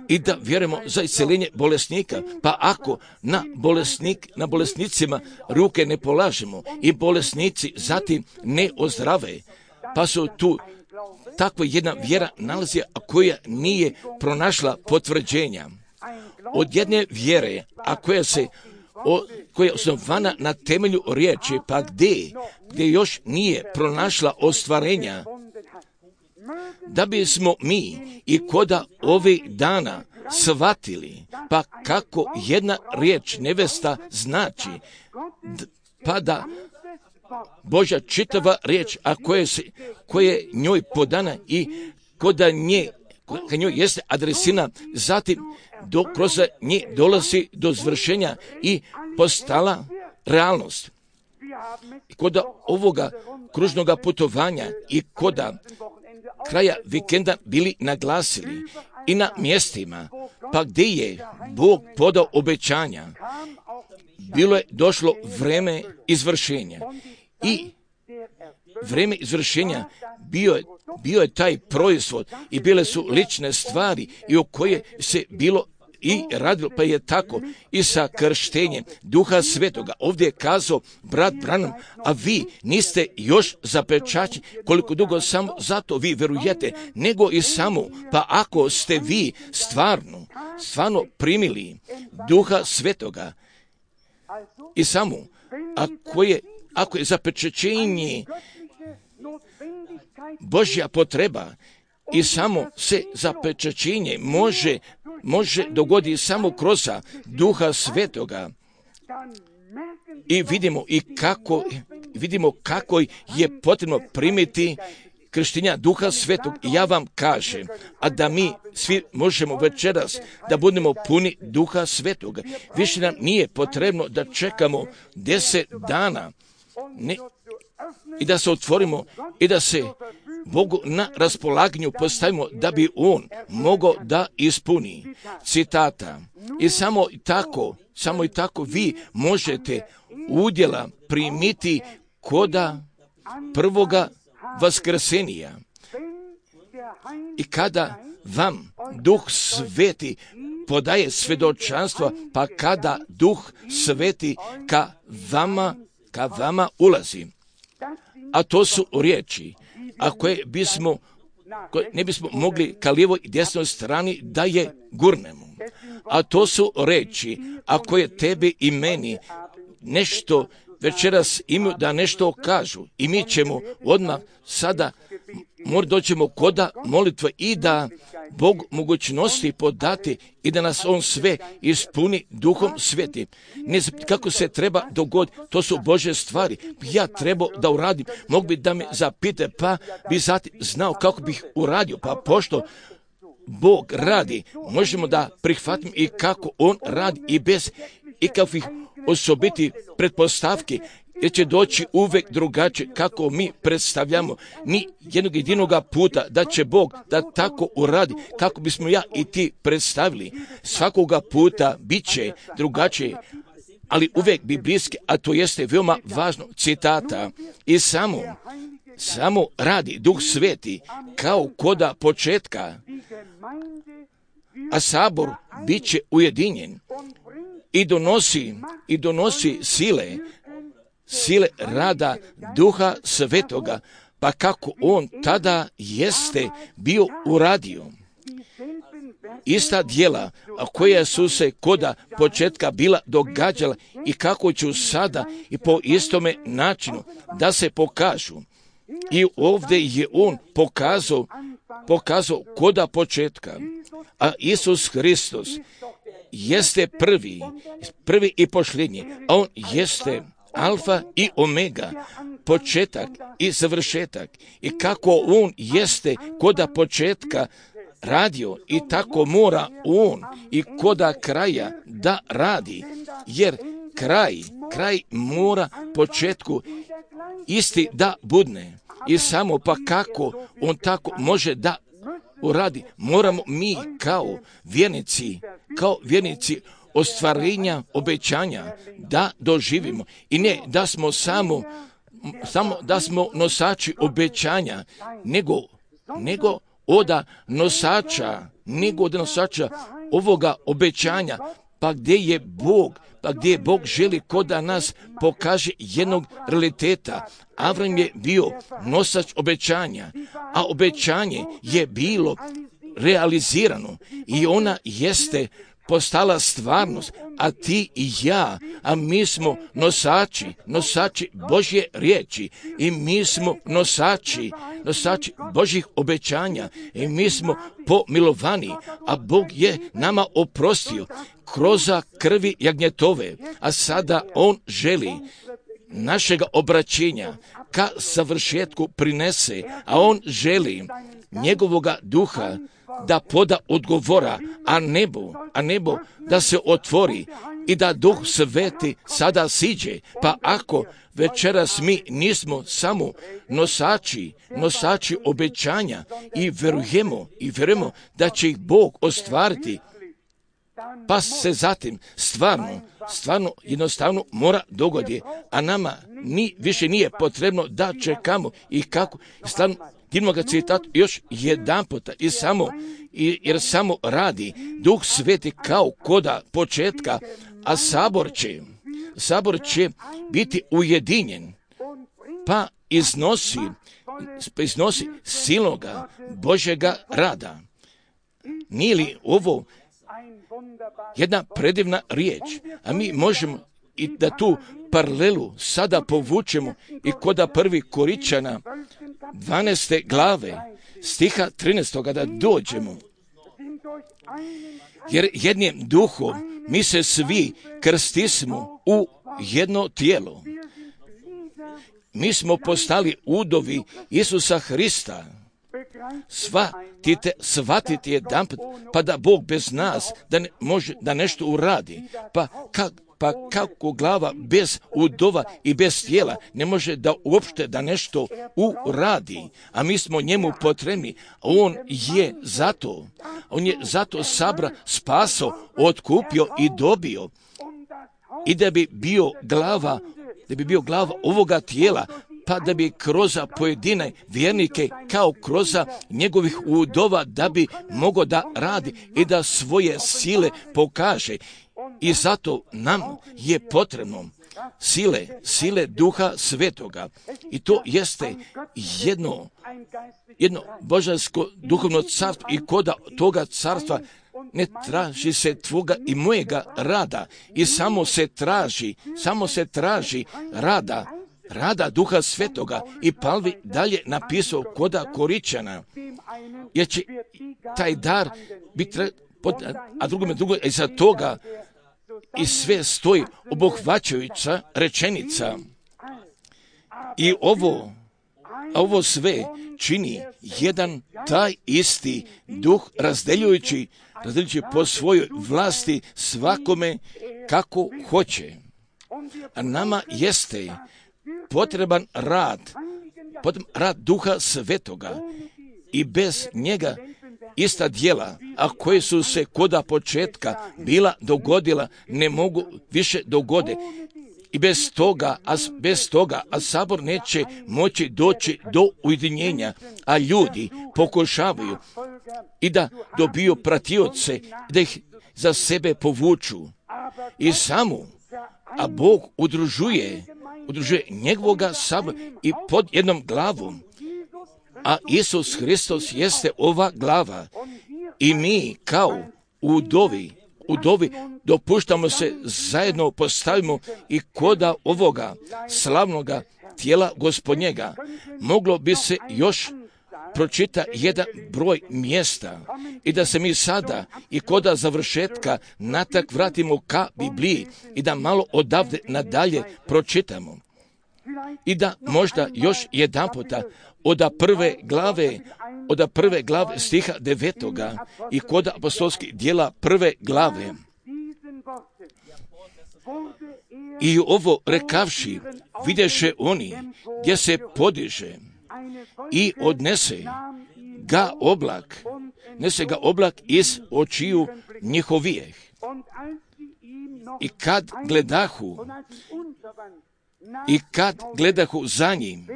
i da vjerujemo za isceljenje bolesnika. Pa ako na, bolesnik, na bolesnicima ruke ne polažemo i bolesnici zatim ne ozdrave, pa su tu takva jedna vjera nalazi, a koja nije pronašla potvrđenja. Od jedne vjere, a koja se O, koja je osnovana na temelju riječi, pa gdje, gdje još nije pronašla ostvarenja, da bismo mi i koda ovih dana shvatili, pa kako jedna riječ nevesta znači, pa da Božja čitava riječ, a koje, se, koje njoj podana i koda nje, koja njoj jeste adresina, zatim do, kroz nje dolazi do zvršenja i postala realnost. I koda ovoga kružnoga putovanja i koda kraja vikenda bili naglasili i na mjestima, pa gdje je Bog podao obećanja, bilo je došlo vreme izvršenja. I vreme izvršenja bio je, bio je taj proizvod i bile su lične stvari i o koje se bilo i radilo, pa je tako i sa krštenjem Duha Svetoga. Ovdje je kazao brat Branham, a vi niste još zapečaćeni, koliko dugo samo zato vi verujete, nego i samo, pa ako ste vi stvarno, stvarno primili Duha Svetoga i samo, ako je, ako je zapečaćenje Božja potreba i samo se zapečaćenje može može dogoditi samo kroz Duha Svetoga. I vidimo i kako vidimo kako je potrebno primiti krštenja Duha Svetog. I ja vam kažem, a da mi svi možemo večeras da budemo puni Duha Svetoga. Više nam nije potrebno da čekamo deset dana ne, i da se otvorimo i da se Bogu na raspolaganju postavimo da bi On mogao da ispuni. Citata. I samo tako, samo i tako vi možete udjela primiti koda prvoga vaskrsenija. I kada vam Duh Sveti podaje svjedočanstvo, pa kada Duh Sveti ka vama, ka vama ulazi. A to su riječi, a koje bismo, koje ne bismo mogli ka lijevoj i desnoj strani da je gurnemo. A to su riječi, a koje tebi i meni nešto večeras imaju da nešto kažu. I mi ćemo odmah sada mora doćemo koda molitve i da Bog mogućnosti podati i da nas On sve ispuni Duhom Svetim. Ne znam kako se treba dogoditi, to su Božje stvari. Ja trebao da uradim, mogu bi da me zapite, pa bi zatim znao kako bih uradio, pa pošto Bog radi, možemo da prihvatim i kako On radi i bez ikakvih osobiti pretpostavki, jer će doći uvek drugačije kako mi predstavljamo. Ni jednog jedinoga puta da će Bog da tako uradi kako bismo ja i ti predstavili. Svakoga puta bit će drugačije, ali uvek biblijski, a to jeste veoma važno. Citata. I samo, samo radi Duh Sveti kao koda početka, a sabor bit će ujedinjen i donosi, i donosi sile, sile rada Duha Svetoga, pa kako On tada jeste bio uradio. Ista djela koja su se koda početka bila događala i kako ću sada i po istome načinu da se pokažu. I ovdje je On pokazao, pokazao koda početka, a Isus Hristos jeste prvi, prvi i posljednji, a On jeste alfa i omega, početak i završetak. I kako On jeste koda početka radio, i tako mora On i koda kraja da radi, jer kraj, kraj mora početku isti da budne. I samo pa kako On tako može da uradi, moramo mi kao vjernici, kao vjernici ostvarenja obećanja da doživimo. I ne da smo samo, samo da smo nosači obećanja, nego, nego oda nosača, nego od nosača ovoga obećanja, pa gdje je Bog, pa gdje Bog želi koda nas pokaže jednog realiteta. Avram je bio nosač obećanja, a obećanje je bilo realizirano i ona jeste postala stvarnost, a ti i ja, a mi smo nosači, nosači Božje riječi i mi smo nosači, nosači Božjih obećanja i mi smo pomilovani, a Bog je nama oprostio kroz krvi jagnjetove, a sada On želi našega obraćenja ka savršetku prinese, a On želi njegovoga duha da poda odgovora, a nebo, a nebo da se otvori i da Duh Sveti sada siđe. Pa ako večeras mi nismo samo nosači, nosači obećanja i verujemo, i verujemo da će ih Bog ostvariti, pa se zatim stvarno, stvarno jednostavno mora dogodi, a nama ni, više nije potrebno da čekamo i kako, stvarno idemo ga citati još jedan puta i samo, i, jer samo radi Duh Sveti kao koda početka, a sabor će, sabor će biti ujedinjen, pa iznosi, iznosi silnoga Božjega rada. Nije li ovo jedna predivna riječ, a mi možemo i da tu paralelu sada povučemo i koda prvi Koričana dvanaeste glave stiha trinaestog da dođemo. Jer jednim duhom mi se svi krstismo u jedno tijelo. Mi smo postali udovi Isusa Hrista. Shvatite, shvatite jedan put, pa da Bog bez nas da ne može da nešto uradi. Pa kak, Pa kako glava bez udova i bez tijela ne može da uopšte da nešto uradi, a mi smo njemu potrebni. On je zato, on je zato sabra spaso, otkupio i dobio. I da bi bio glava, da bi bio glava ovoga tijela, pa da bi kroz pojedine vjernike kao kroz njegovih udova da bi mogao da radi i da svoje sile pokaže. I zato nam je potrebno sile, sile Duha Svetoga. I to jeste jedno, jedno božansko duhovno carstvo i koda toga carstva ne traži se tvoga i mojega rada i samo se traži, samo se traži rada, rada Duha Svetoga. I Pavle dalje napisao koda Koričana, jer će taj dar biti, a drugome drugo, i za toga i sve stoji obuhvaćajuća rečenica. I ovo, a ovo sve čini jedan taj isti duh razdeljujući, razdeljujući po svojoj vlasti svakome kako hoće. A nama jeste potreban rad, potreban rad Duha Svetoga i bez njega ista djela, a koje su se koda početka bila dogodila, ne mogu više dogode. I bez toga, a bez toga, a sabor neće moći doći do ujedinjenja, a ljudi pokušavaju i da dobiju pratioce, da ih za sebe povuču i samu, a Bog udružuje, udružuje njegovoga sabora i pod jednom glavom. A Isus Hristos jeste ova glava i mi kao udovi, udovi dopuštamo se zajedno postavimo i koda ovoga slavnoga tijela Gospodnjega. Moglo bi se još pročita jedan broj mjesta i da se mi sada i koda završetka natak vratimo ka Bibliji i da malo odavde nadalje pročitamo. I da možda još jedan puta od prve glave, od prve glave stiha devetoga i kod apostolskih djela prve glave. I ovo rekavši, vidješe oni gdje se podiže i odnese ga oblak, nese ga oblak iz očiju njihovijeh. I kad gledahu, i kad gledahu za njim,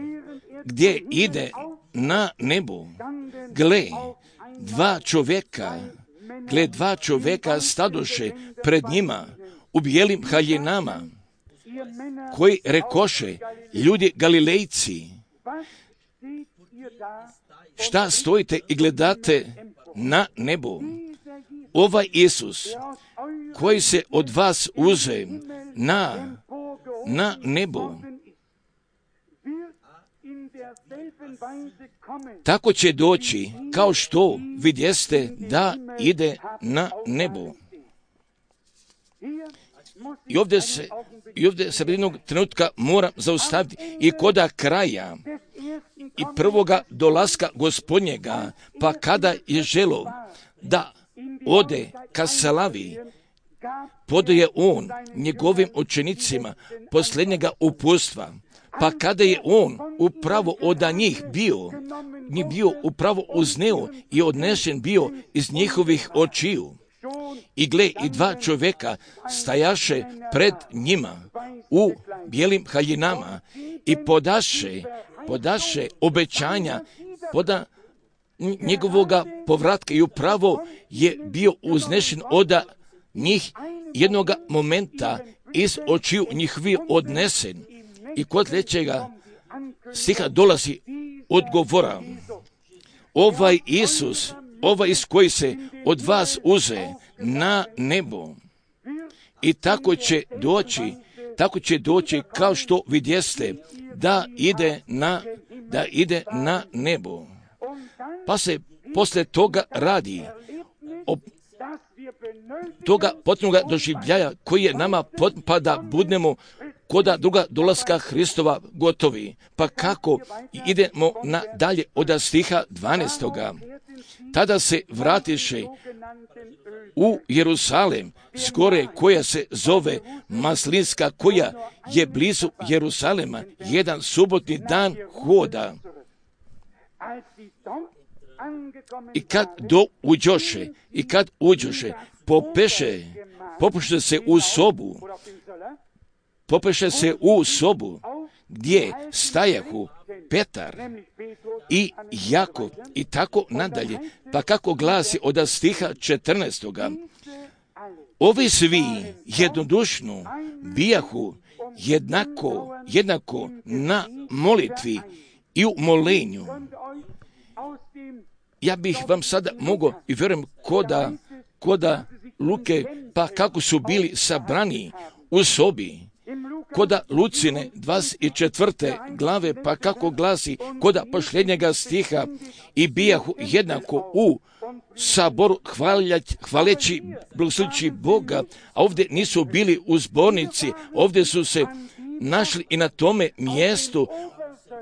gdje ide na nebo, gle, dva čovjeka, gle, dva čovjeka stadoše pred njima u bijelim haljinama, koji rekoše, ljudi Galilejci, šta stojite i gledate na nebo? Ovaj Isus, koji se od vas uze na, na nebo, tako će doći kao što vidjeste da ide na nebo. I ovdje se, i ovdje se jednog trenutka moram zaustaviti i koda kraja i prvoga dolaska Gospodnjega, pa kada je želo da ode ka slavi, podaje on njegovim učenicima posljednjega upustva. Pa kada je on upravo od njih bio, njih bio upravo uzneo i odnešen bio iz njihovih očiju. I gle, i dva čovjeka stajaše pred njima u bijelim haljinama i podaše, podaše obećanja, poda njegovoga povratka i upravo je bio uznešen od njih jednoga momenta iz očiju njihovih odnesen. I kod sljedećega stiha dolazi odgovora. Ovaj Isus, ovaj Isus koji se od vas uze na nebo i tako će doći, tako će doći kao što vidjeste da ide na, da ide na nebo. Pa se posle toga radi o toga potpunoga doživljaja koji je nama pa da budemo koda druga dolaska Hristova gotovi. Pa kako idemo na dalje od stiha dvanaestoga. Tada se vratiše u Jerusalem, s gore koja se zove Maslinska, koja je blizu Jerusalema, jedan subotni dan hoda. I kad do uđoše, i kad uđoše, popeše, popuše se u sobu, popeše se u sobu, gdje stajahu Petar i Jakov i tako nadalje. Pa kako glasi od stiha četrnaestoga. Ovi svi jednodušno bijahu jednako, jednako na molitvi i u molenju. Ja bih vam sada mogao i vjerujem koda, koda Luke, pa kako su bili sabrani u sobi, koda Lucine dvadeset četvrte glave, pa kako glasi koda posljednjega stiha, i bijahu jednako u saboru hvaljać, hvaleći, blagoslovljajući Boga, a ovdje nisu bili u zbornici, ovdje su se našli i na tome mjestu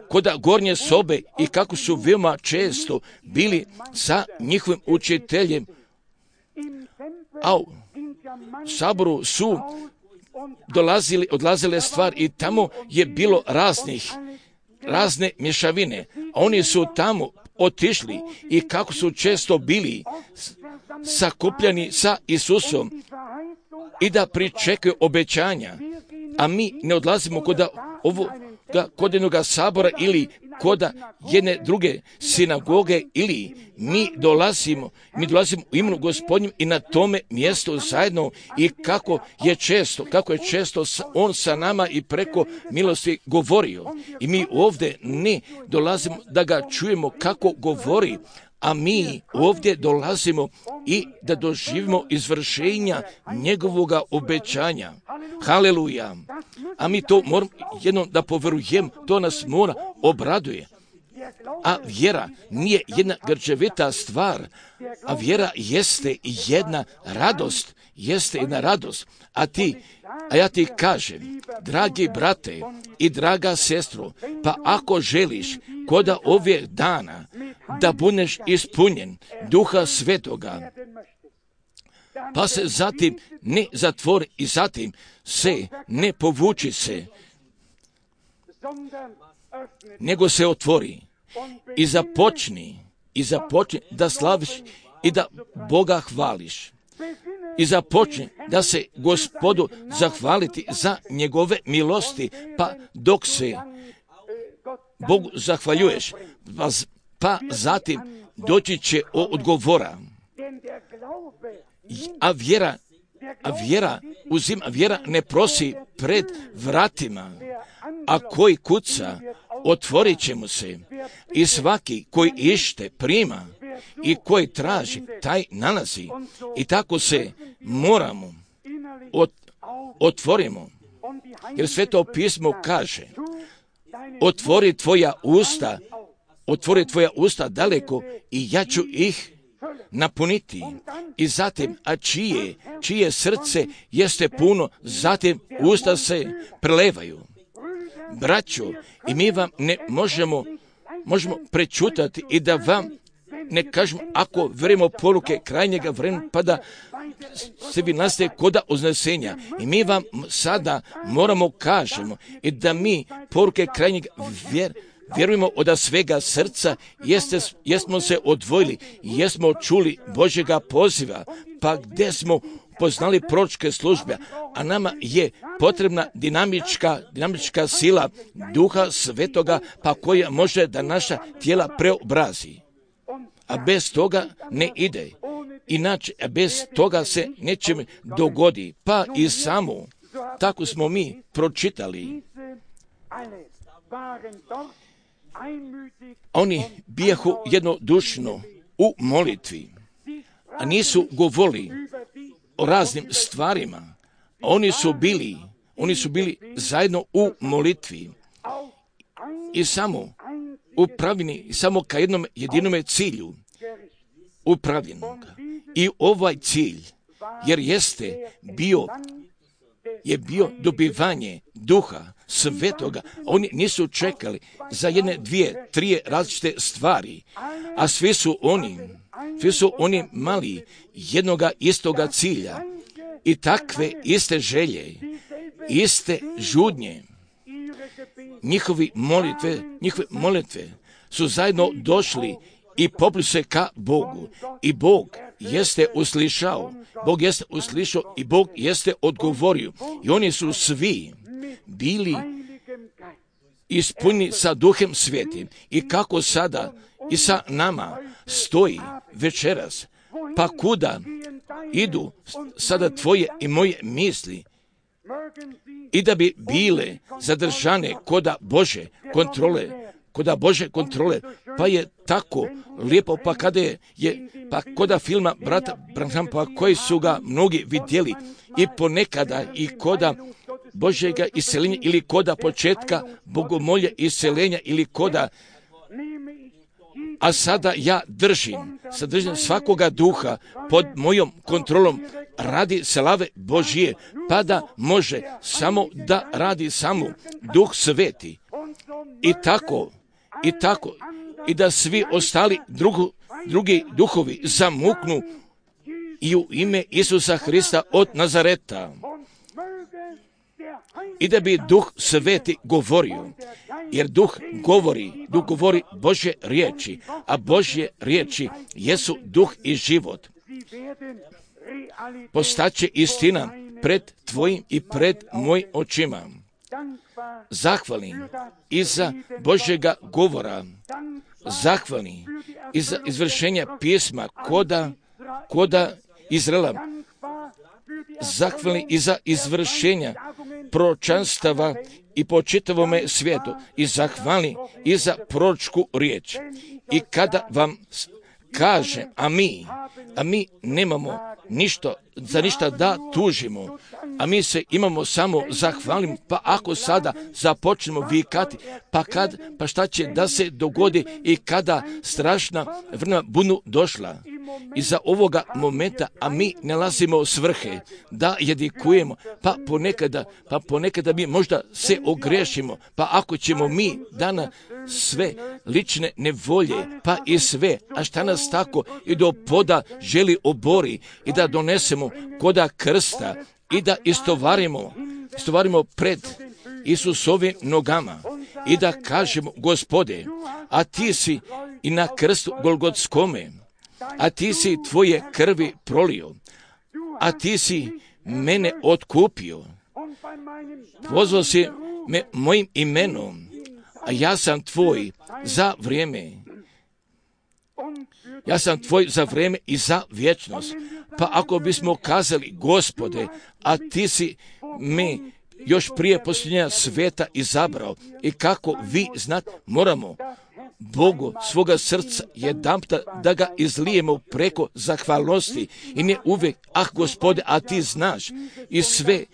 koda gornje sobe, i kako su veoma često bili sa njihovim učiteljem, a u saboru su dolazili, odlazile stvari i tamo je bilo raznih, razne mješavine, a oni su tamo otišli i kako su često bili sakupljani sa Isusom i da pričekaju obećanja, a mi ne odlazimo kod ovo kod jednog sabora ili kod jedne druge sinagoge, ili mi dolazimo, mi dolazimo u imenu Gospodnjem i na tome mjestu zajedno, i kako je često, kako je često on sa nama i preko milosti govorio. I mi ovdje ne dolazimo da ga čujemo kako govori, a mi ovdje dolazimo i da doživimo izvršenja njegovoga obećanja. Haleluja! A mi to moramo jednom da poverujem, to nas mora obraduje. A vjera nije jedna grčevita stvar, a vjera jeste jedna radost, jeste jedna radost. A ti, a ja ti kažem, dragi brate i draga sestro, pa ako želiš koda ove dana da budeš ispunjen Duha Svetoga, pa se zatim ne zatvori i zatim se ne povuči se, nego se otvori i započni, i započni da slaviš i da Boga hvališ. I započni da se Gospodu zahvaliti za njegove milosti, pa dok se Bogu zahvaljuješ, pa, pa zatim doći će odgovora. A vjera, a vjera uzima, vjera ne prosi pred vratima, a koji kuca, otvorit će mu se, i svaki koji ište prima, i koji traži, taj nalazi. I tako se moramo ot, otvorimo, jer Sveto pismo kaže, otvori tvoja usta, otvori tvoja usta daleko i ja ću ih napuniti. I zatim, a čije, čije srce jeste puno, zatim usta se prelevaju. Braćo, i mi vam ne možemo, možemo prečutati i da vam ne kažemo, ako verimo poruke krajnjega vremena, pa da se vi nastaje koda uznesenja. I mi vam sada moramo kažemo i da mi poruke krajnjeg vjer, vjerujemo od svega srca, jeste, jesmo se odvojili, jesmo čuli Božjega poziva, pa gdje smo poznali proročke službe, a nama je potrebna dinamička, dinamička sila Duha Svetoga, pa koja može da naša tijela preobrazi. A bez toga ne ide. Inače, bez toga se nečem dogodi. Pa i samo, tako smo mi pročitali. Oni bijahu jednodušno u molitvi, a nisu govorili o raznim stvarima. Oni su bili, oni su bili zajedno u molitvi i samo upravljeni samo ka jednom jedinome cilju, upravljenog. I ovaj cilj, jer jeste bio, je bio dobivanje Duha Svetoga. Oni nisu čekali za jedne, dvije, tri različite stvari, a svi su oni, Svi su oni mali jednoga istoga cilja i takve iste želje, iste žudnje. Njihovi molitve, njihove molitve su zajedno došli i popli se ka Bogu. I Bog jeste uslišao, Bog jeste uslišao i Bog jeste odgovorio. I oni su svi bili ispunjeni sa Duhem Svetim. I kako sada i sa nama stoji večeras, pa kuda idu sada tvoje i moje misli, i da bi bile zadržane koda Bože kontrole, koda Bože kontrole, pa je tako lijepo, pa kada je, je pa koda filma brata Branhama, koji su ga mnogi vidjeli, i ponekada i koda Božjega iseljenja ili koda početka bogomolja iseljenja ili koda, a sada ja držim, sadržim svakoga duha pod mojom kontrolom radi slave Božije, pa da može samo da radi samo Duh Sveti. I tako, i tako, i da svi ostali drugu, drugi duhovi zamuknu i u ime Isusa Hrista od Nazareta. I da bi Duh Sveti govorio, jer Duh govori, Duh govori Božje riječi, a Božje riječi jesu duh i život. Postaće istina pred tvojim i pred mojim očima. Zahvalim i za Božjega govora, zahvalim i za izvršenja pisma koda, koda Izraela, zahvalim i za izvršenja proročanstava i po čitavome svijetu, i zahvalim i za proročku riječ. I kada vam kaže, a mi, a mi nemamo ništa, za ništa da tužimo, a mi se imamo samo zahvalim, pa ako sada započnemo vikati, pa kad, pa šta će da se dogodi i kada strašna vremena budu došla. Iza ovoga momenta, a mi nalazimo svrhe da jedikujemo, pa ponekada, pa ponekada mi možda se ogrešimo, pa ako ćemo mi dana sve lične nevolje, pa i sve, a šta nas tako i do poda želi obori i da donesemo koda krsta i da istovarimo, istovarimo pred Isusovim nogama i da kažemo, Gospode, a ti si i na krstu Golgotskome, a ti si tvoje krvi prolio, a ti si mene otkupio, pozvao si me mojim imenom, a ja sam tvoj za vrijeme, ja sam tvoj za vrijeme i za vječnost. Pa ako bismo kazali, Gospode, a ti si me još prije posljednja sveta izabrao, i kako vi znate, moramo Bogu svoga srca jedanputa da ga izlijemo preko zahvalnosti i ne uvijek, ah Gospode, a ti znaš, i sve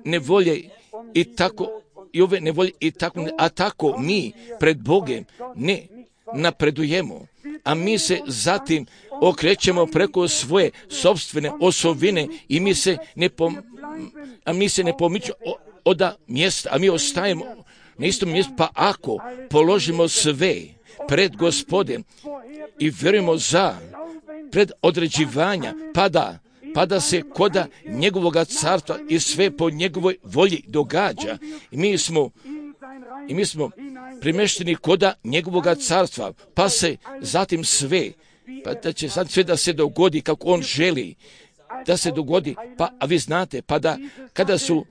nevolje i tako, i ove nevolje i tako, a tako mi pred Bogem ne napredujemo, a mi se zatim okrećemo preko svoje sopstvene osobine i mi se ne pom, a mi se ne pomičemo od mjesta, a mi ostajemo na istom mjestu. Pa ako položimo sve pred Gospodem i vjerujemo za pred određivanja, pa da, pa da se koda njegovoga carstva i sve po njegovoj volji događa, i mi smo i mi smo primešteni koda njegovoga carstva, pa se zatim sve, pa da će sad sve da se dogodi kako on želi da se dogodi, pa a vi znate, pa da kada su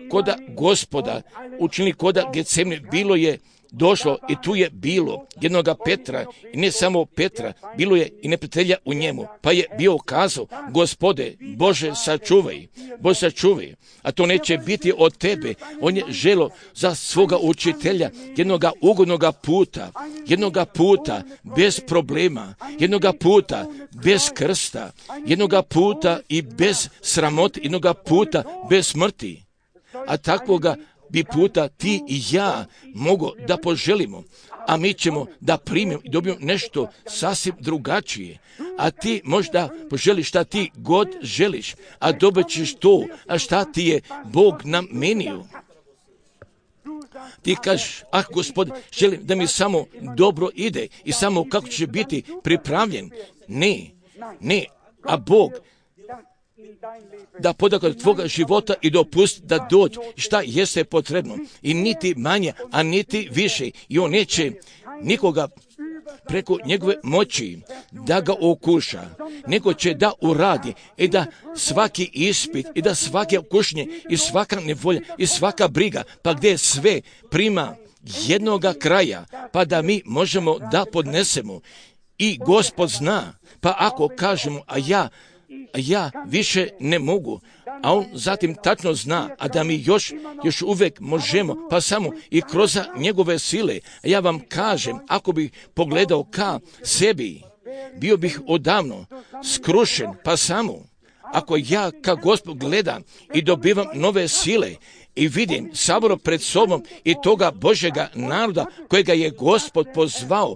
koda Gospoda učinili koda Getsemane, bilo je došlo i tu je bilo jednoga Petra, i ne samo Petra, bilo je i neprijatelja u njemu, pa je bio kazao, Gospode, Bože sačuvaj, Bože sačuvaj, a to neće biti od tebe. On je želo za svoga učitelja jednoga ugodnoga puta, jednoga puta bez problema, jednoga puta bez krsta, jednoga puta i bez sramote, jednoga puta bez smrti. A takvoga bi puta ti i ja mogu da poželimo, a mi ćemo da primimo i dobijemo nešto sasvim drugačije. A ti možda poželiš šta ti god želiš, a dobit ćeš to, a šta ti je Bog namenio. ti kažeš, ah Gospod, želim da mi samo dobro ide i samo kako će biti pripravljen. Ne, ne, a Bog da podakle tvoga života i dopusti da dođe šta jeste potrebno. I niti manje, a niti više. I on neće nikoga preko njegove moći da ga okuša, nego će da uradi i da svaki ispit i da svake okušnje i svaka nevolja i svaka briga, pa gdje sve prima jednoga kraja, pa da mi možemo da podnesemo. I Gospod zna, pa ako kažemo, a ja a ja više ne mogu, a on zatim tačno zna, a da mi još, još uvijek možemo, pa samo i kroz njegove sile. A ja vam kažem, ako bih pogledao ka sebi, bio bih odavno skrušen, pa samo ako ja ka Gospod gledam i dobivam nove sile i vidim saboro pred sobom i toga Božjega naroda kojega je Gospod pozvao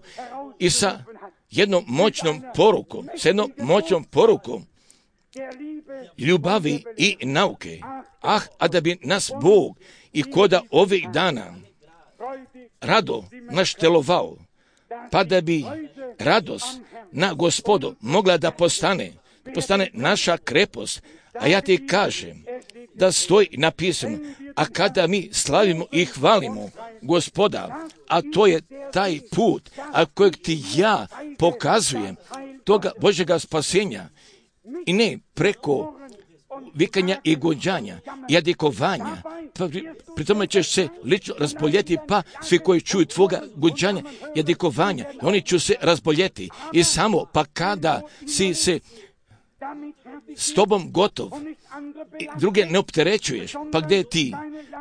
i sa jednom moćnom porukom, s jednom moćnom porukom, ljubavi i nauke. Ah, a da bi nas Bog i koda ovih dana rado naštelovao, pa da bi radost na Gospodu mogla da postane, postane naša krepost. A ja ti kažem da stoji napisano, a kada mi slavimo i hvalimo Gospoda, a to je taj put, a kojeg ti ja pokazujem, toga Božjega spasenja, i ne preko vikanja i gođanja i jadikovanja, pa pri, pri tome ćeš se lično razboljeti, pa svi koji čuju tvoga gođanja i jadikovanja, oni će se razboljeti. I samo pa kada si se s tobom gotov i druge ne opterećuješ, pa gdje ti,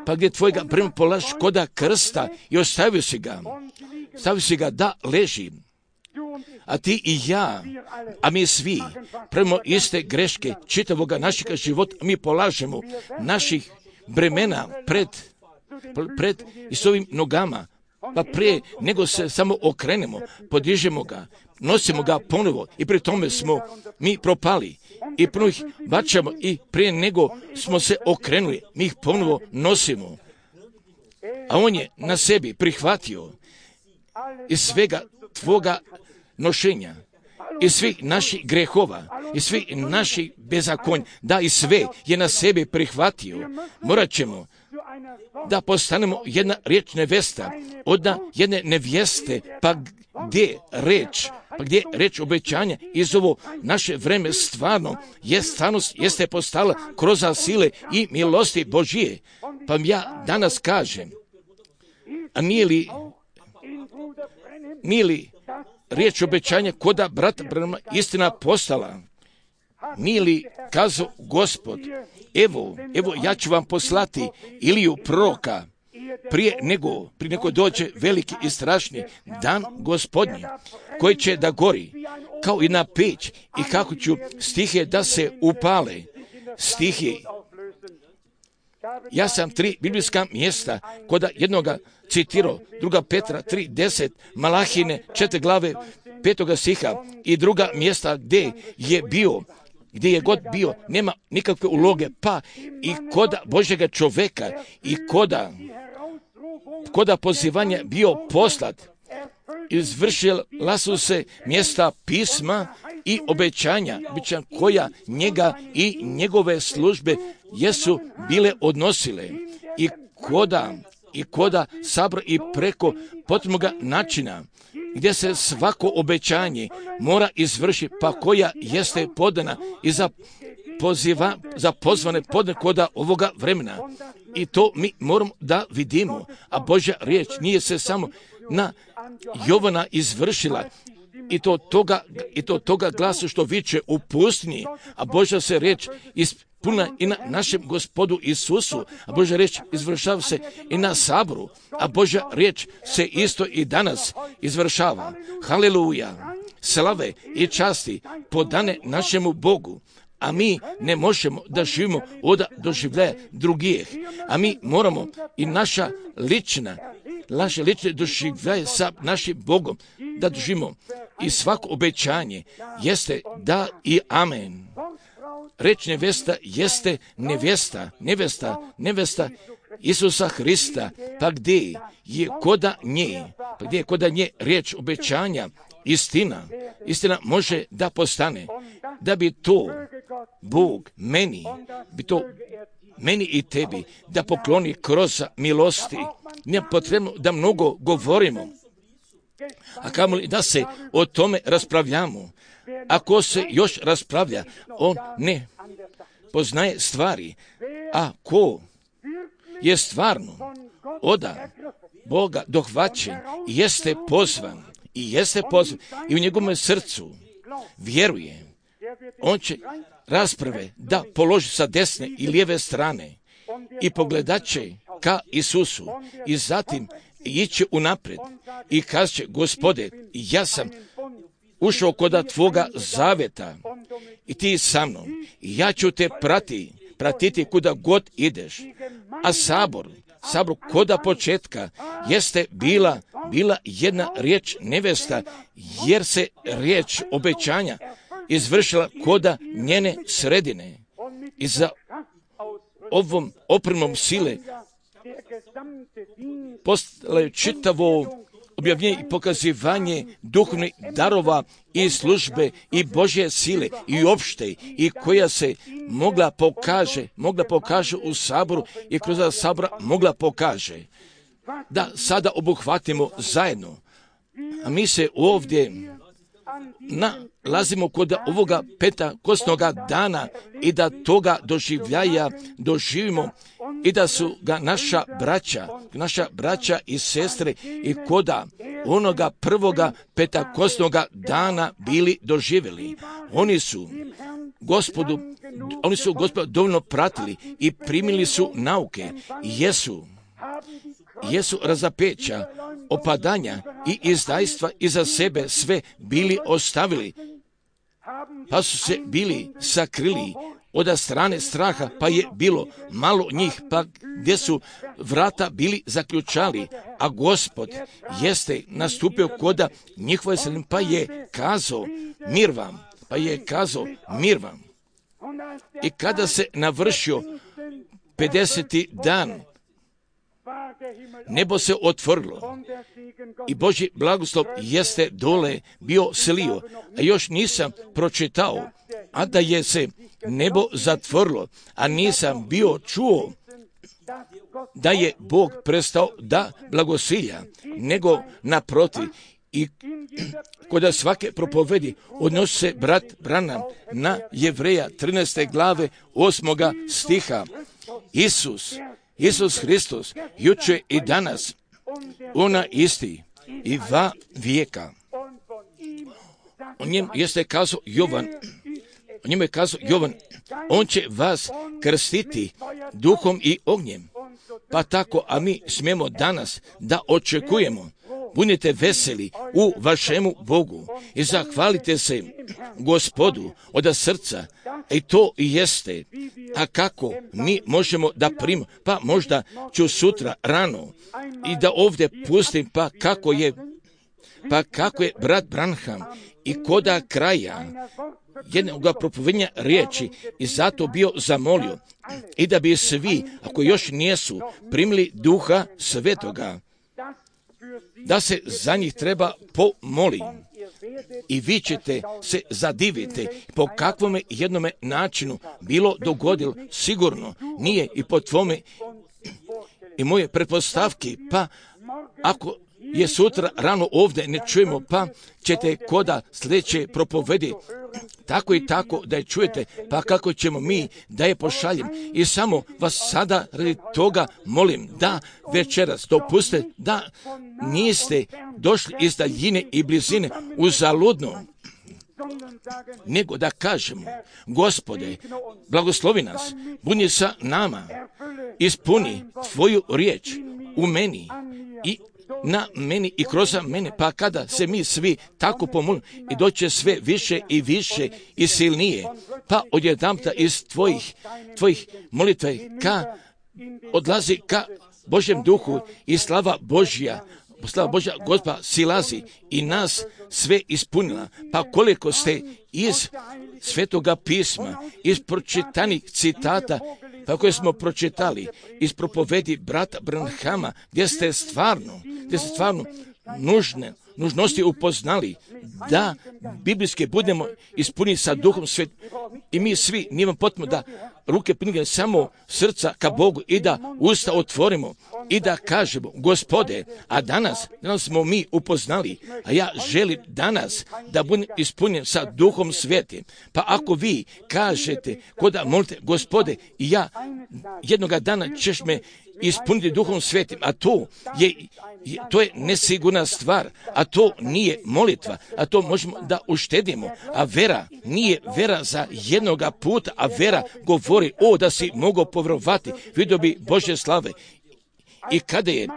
pa gdje tvojega brema polažeš koda krsta i ostavio si ga, stavio si ga da leži. A ti i ja, a mi svi, pravimo iste greške čitavoga našega života, mi polažemo naših bremena pred, pred i s ovim nogama, pa prije nego se samo okrenemo, podižemo ga, nosimo ga ponovo i pri tome smo mi propali i ponovo ih bačamo i prije nego smo se okrenuli, mi ih ponovo nosimo. A on je na sebi prihvatio iz svega tvoga nošenja i svih naših grehova i svih naših bezakonja, da i sve je na sebi prihvatio. Morat ćemo da postanemo jedna riječ nevesta od jedne nevjeste, pa gdje reč, pa gdje reč obećanja iz ovo naše vreme stvarno je stvarnost, jeste postala kroz sile i milosti Božije. Pa ja danas kažem, a nije li, nije li riječ obećanja koda brata Branhama istina postala? Nije li kazao Gospod, evo, evo ja ću vam poslati Iliju proroka prije nego, prije nego dođe veliki i strašni dan Gospodnji, koji će da gori kao i na peć i kako ću stihe da se upale. Stihe. Ja sam tri biblijska mjesta koda jednoga citirao, druga Petra tri deset, Malahine četiri glave petoga stiha i druga mjesta gdje je bio, gdje je god bio, nema nikakve uloge, pa i koda Božjega čoveka i koda, koda pozivanja bio poslat, izvršila su se mjesta pisma i obećanja, obećanja koja njega i njegove službe jesu bile odnosile i koda i koda sabor i preko potrebnoga načina gdje se svako obećanje mora izvršiti, pa koja jeste podana i za, poziva, za pozvane podane koda ovoga vremena. I to mi moramo da vidimo, a Božja riječ nije se samo na Jovana izvršila, i to toga, i to toga glasa što viče u pustinji, a Božja se riječ ispuna i na našem Gospodu Isusu, a Božja riječ izvršava se i na saboru, a Božja riječ se isto i danas izvršava. Haleluja! Slave i časti podane našemu Bogu, a mi ne možemo da živimo od doživljaja drugih, a mi moramo i naša lična, naše lične doživljaje sa našim Bogom da doživimo. I svako obećanje jeste da i amen. Reč nevesta jeste nevesta, nevesta, nevesta Isusa Hrista, pa gdje je koda nje, pa gdje je koda nje riječ obećanja, istina, istina može da postane, da bi to Bog meni, bi to meni i tebi, da pokloni kroz milosti. Nije potrebno da mnogo govorimo, a kamoli da se o tome raspravljamo. Ako se još raspravlja, on ne poznaje stvari, a ko je stvarno odan Boga dohvaćen, jeste pozvan i jeste pozvan i u njegovom srcu vjeruje, on će rasprave da položi sa desne i lijeve strane i pogledat će ka Isusu i zatim ići unaprijed i kazat će: Gospode, ja sam ušao koda tvoga zaveta i ti sa mnom i ja ću te prati, pratiti kuda god ideš. A sabor, sabor koda početka jeste bila, bila jedna riječ nevesta, jer se riječ obećanja izvršila koda njene sredine. I za ovom opremom sile postalo je čitavo objavljenje i pokazivanje duhovnih darova i službe i Božje sile i opšte i koja se mogla pokaže, mogla pokaže u saboru i kroz sabora mogla pokaže. Da sada obuhvatimo zajedno. A mi se ovdje nalazimo kod ovoga Pentekostnoga dana i da toga doživljaja doživimo i da su ga naša braća, naša braća i sestre i koda onoga prvoga Pentekostnoga dana bili doživjeli. Oni su Gospodu, oni su Gospodu dovoljno pratili i primili su nauke. Jesu, jesu razapeća, opadanja i izdajstva iza sebe sve bili ostavili, pa su se bili sakrili od strane straha, pa je bilo malo njih, pa gdje su vrata bili zaključali, a Gospod jeste nastupio koda njihove sredine, pa je kazao: mir vam, pa je kazao mir vam. I kada se navršio pedeseti dan, nebo se otvorilo i Božji blagoslov jeste dole bio slio, a još nisam pročitao, a da je se nebo zatvorilo, a nisam bio čuo da je Bog prestao da blagosilja, nego naprotiv. I kod svake propovedi odnosi se brat Branham na Jevreja trinaeste glave osmoga stiha. Isus, Isus Hristos, juče i danas, ona isti i va vijeka. O njem jeste kazao Jovan, o njemu je kazao Jovan, on će vas krstiti duhom i ognjem. Pa tako, a mi smijemo danas da očekujemo. Budite veseli u vašemu Bogu i zahvalite se Gospodu od srca. I to i jeste. A kako mi možemo da primimo? Pa možda ću sutra rano i da ovdje pustim, pa kako je, pa kako je brat Branham i koda kraja jednog propovednja riječi i zato bio zamolio i da bi svi, ako još nijesu, primili Duha Svetoga, da se za njih treba pomoli. I vi ćete se zadiviti po kakvome jednome načinu bilo dogodilo, sigurno nije i po tvome i moje pretpostavki, pa ako je sutra rano ovdje ne čujemo, pa ćete koda sljedeće propovedi tako i tako da je čujete, pa kako ćemo mi da je pošaljem. I samo vas sada radi toga molim da večeras dopustite da niste došli iz daljine i blizine uzaludno, nego da kažemo: Gospode, blagoslovi nas, budi sa nama, ispuni tvoju riječ u meni i na meni i kroz mene, pa kada se mi svi tako pomolimo i doće sve više i više i silnije, pa odjedanputa iz tvojih, tvojih molitva ka odlazi ka Božjem duhu i slava Božja, slava Božja Gospoda silazi i nas sve ispunila. Pa koliko ste iz Svetoga pisma, iz pročitanih citata pa koje smo pročitali iz propovedi brata Branhama, gdje ste stvarno, gdje ste stvarno nužne, nužnosti upoznali da biblijske budemo ispuniti sa Duhom Svetim. I mi svi, nije vam potrebno da ruke podignemo, samo srca ka Bogu i da usta otvorimo i da kažemo, Gospode, a danas, danas smo mi upoznali, a ja želim danas da budem ispunjen sa Duhom Svetim. Pa ako vi kažete, koda molite, Gospode, i ja jednoga dana ćeš me ispuniti Duhom Svetim, a to je, to je nesigurna stvar, a to nije molitva, a to možemo da uštedimo, a vera nije vera za jednoga puta, a vera govori, o, da si mogao povjerovati, vidio bi Božje slave. I kada je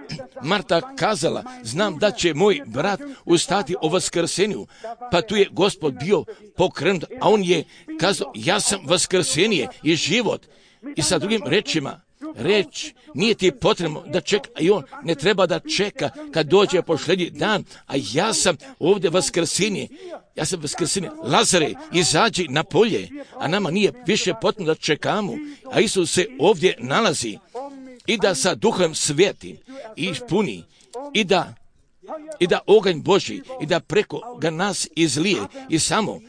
Marta kazala, znam da će moj brat ustati o vaskrsenju, pa tu je Gospod bio pokrenut, a on je kazao, ja sam vaskrsenje i život. I sa drugim rečima, reč, nije ti potrebno da čeka, i on ne treba da čeka kad dođe posljednji dan, a ja sam ovdje vaskrsenje, ja sam vaskrsenje. Lazare, izađi na polje, a nama nije više potrebno da čekamo, a Isus se ovdje nalazi i da sa Duhom Svetim ispuni i da i da oganj Božji i da preko ga nas izlije i samo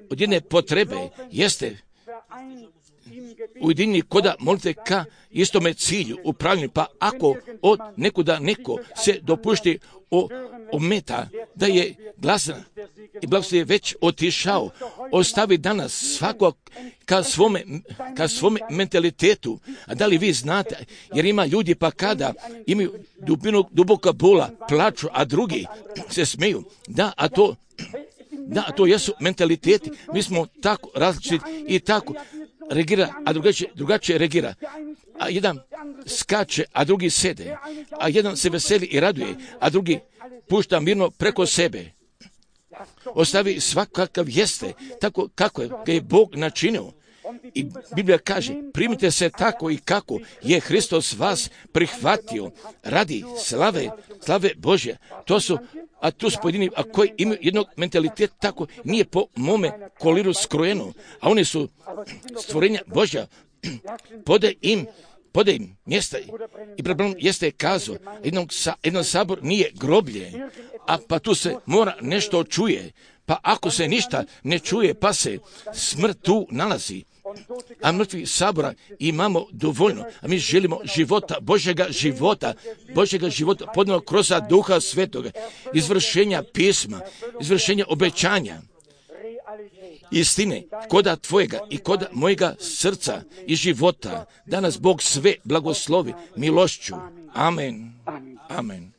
od jedne potrebe jeste ujedinjeni koda molite ka istome cilju upravljanju. Pa ako od nekuda neko se dopušti o, ometa da je glasan i blagoslov je već otišao, ostavi danas svakog ka svome, ka svome mentalitetu. A da li vi znate, jer ima ljudi pa kada imaju dubinu, duboka bola, plaču, a drugi se smeju. Da, a to, da, a to jesu mentaliteti. Mi smo tako različiti i tako reagira, a drugačije, drugačije reagira. A jedan skače, a drugi sede. A jedan se veseli i raduje, a drugi pušta mirno preko sebe. Ostavi svakakav jeste, tako kako je, ga je Bog načinio. I Biblija kaže, primite se tako i kako je Hristos vas prihvatio radi slave, slave Božje. To su, a tu su pojedini, a koji imaju jednog mentaliteta, tako nije po mome koliru skrojeno, a oni su stvorenja Božja, pode im, pode im mjesta. I problem jeste kazao, jednog, sa, jednog sabor nije groblje, a pa tu se mora nešto čuje. Pa ako se ništa ne čuje, pa se smrt tu nalazi. A mrtvi sabora imamo dovoljno. A mi želimo života, Božjega života, Božjega života podano kroz Duha Svetoga, izvršenja pisma, izvršenja obećanja, istine, koda tvojega i koda mojega srca i života. Danas Bog sve blagoslovi milošću. Amen. Amen.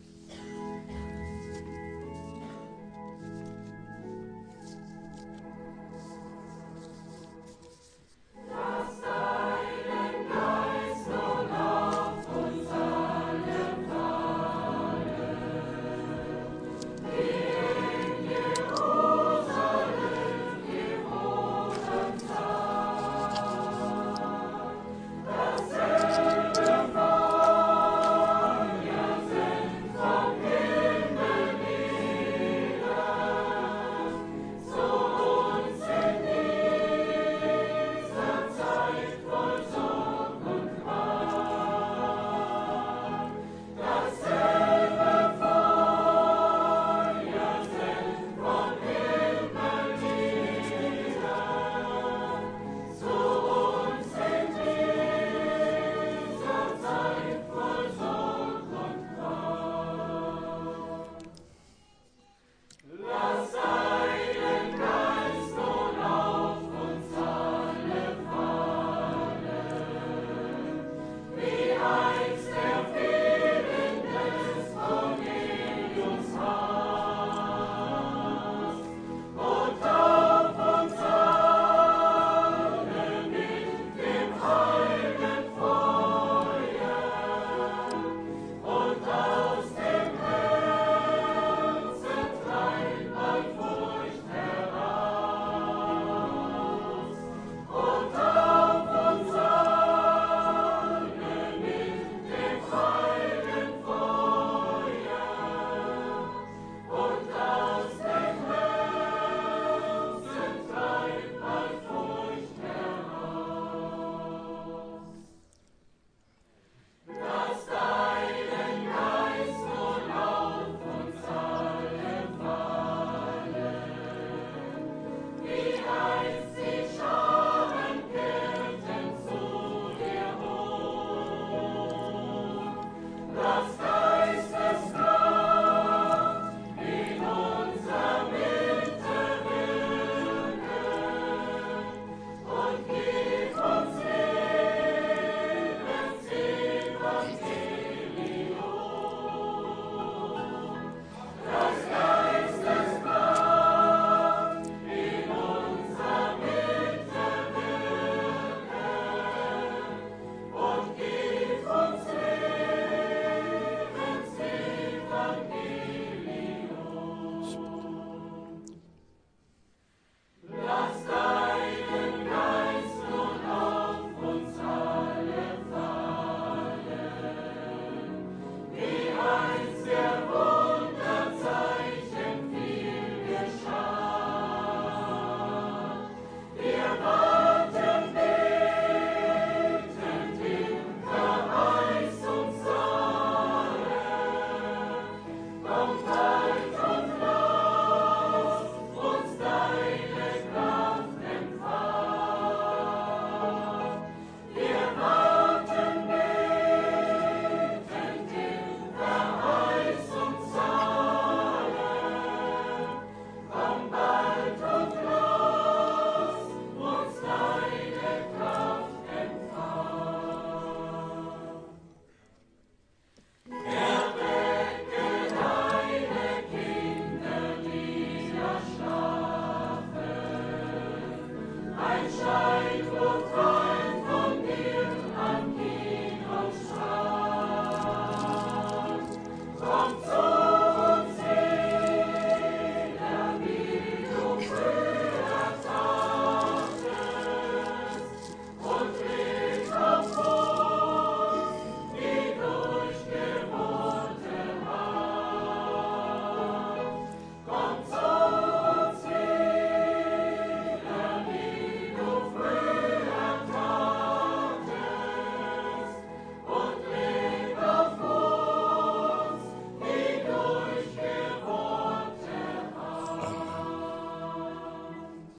Kommt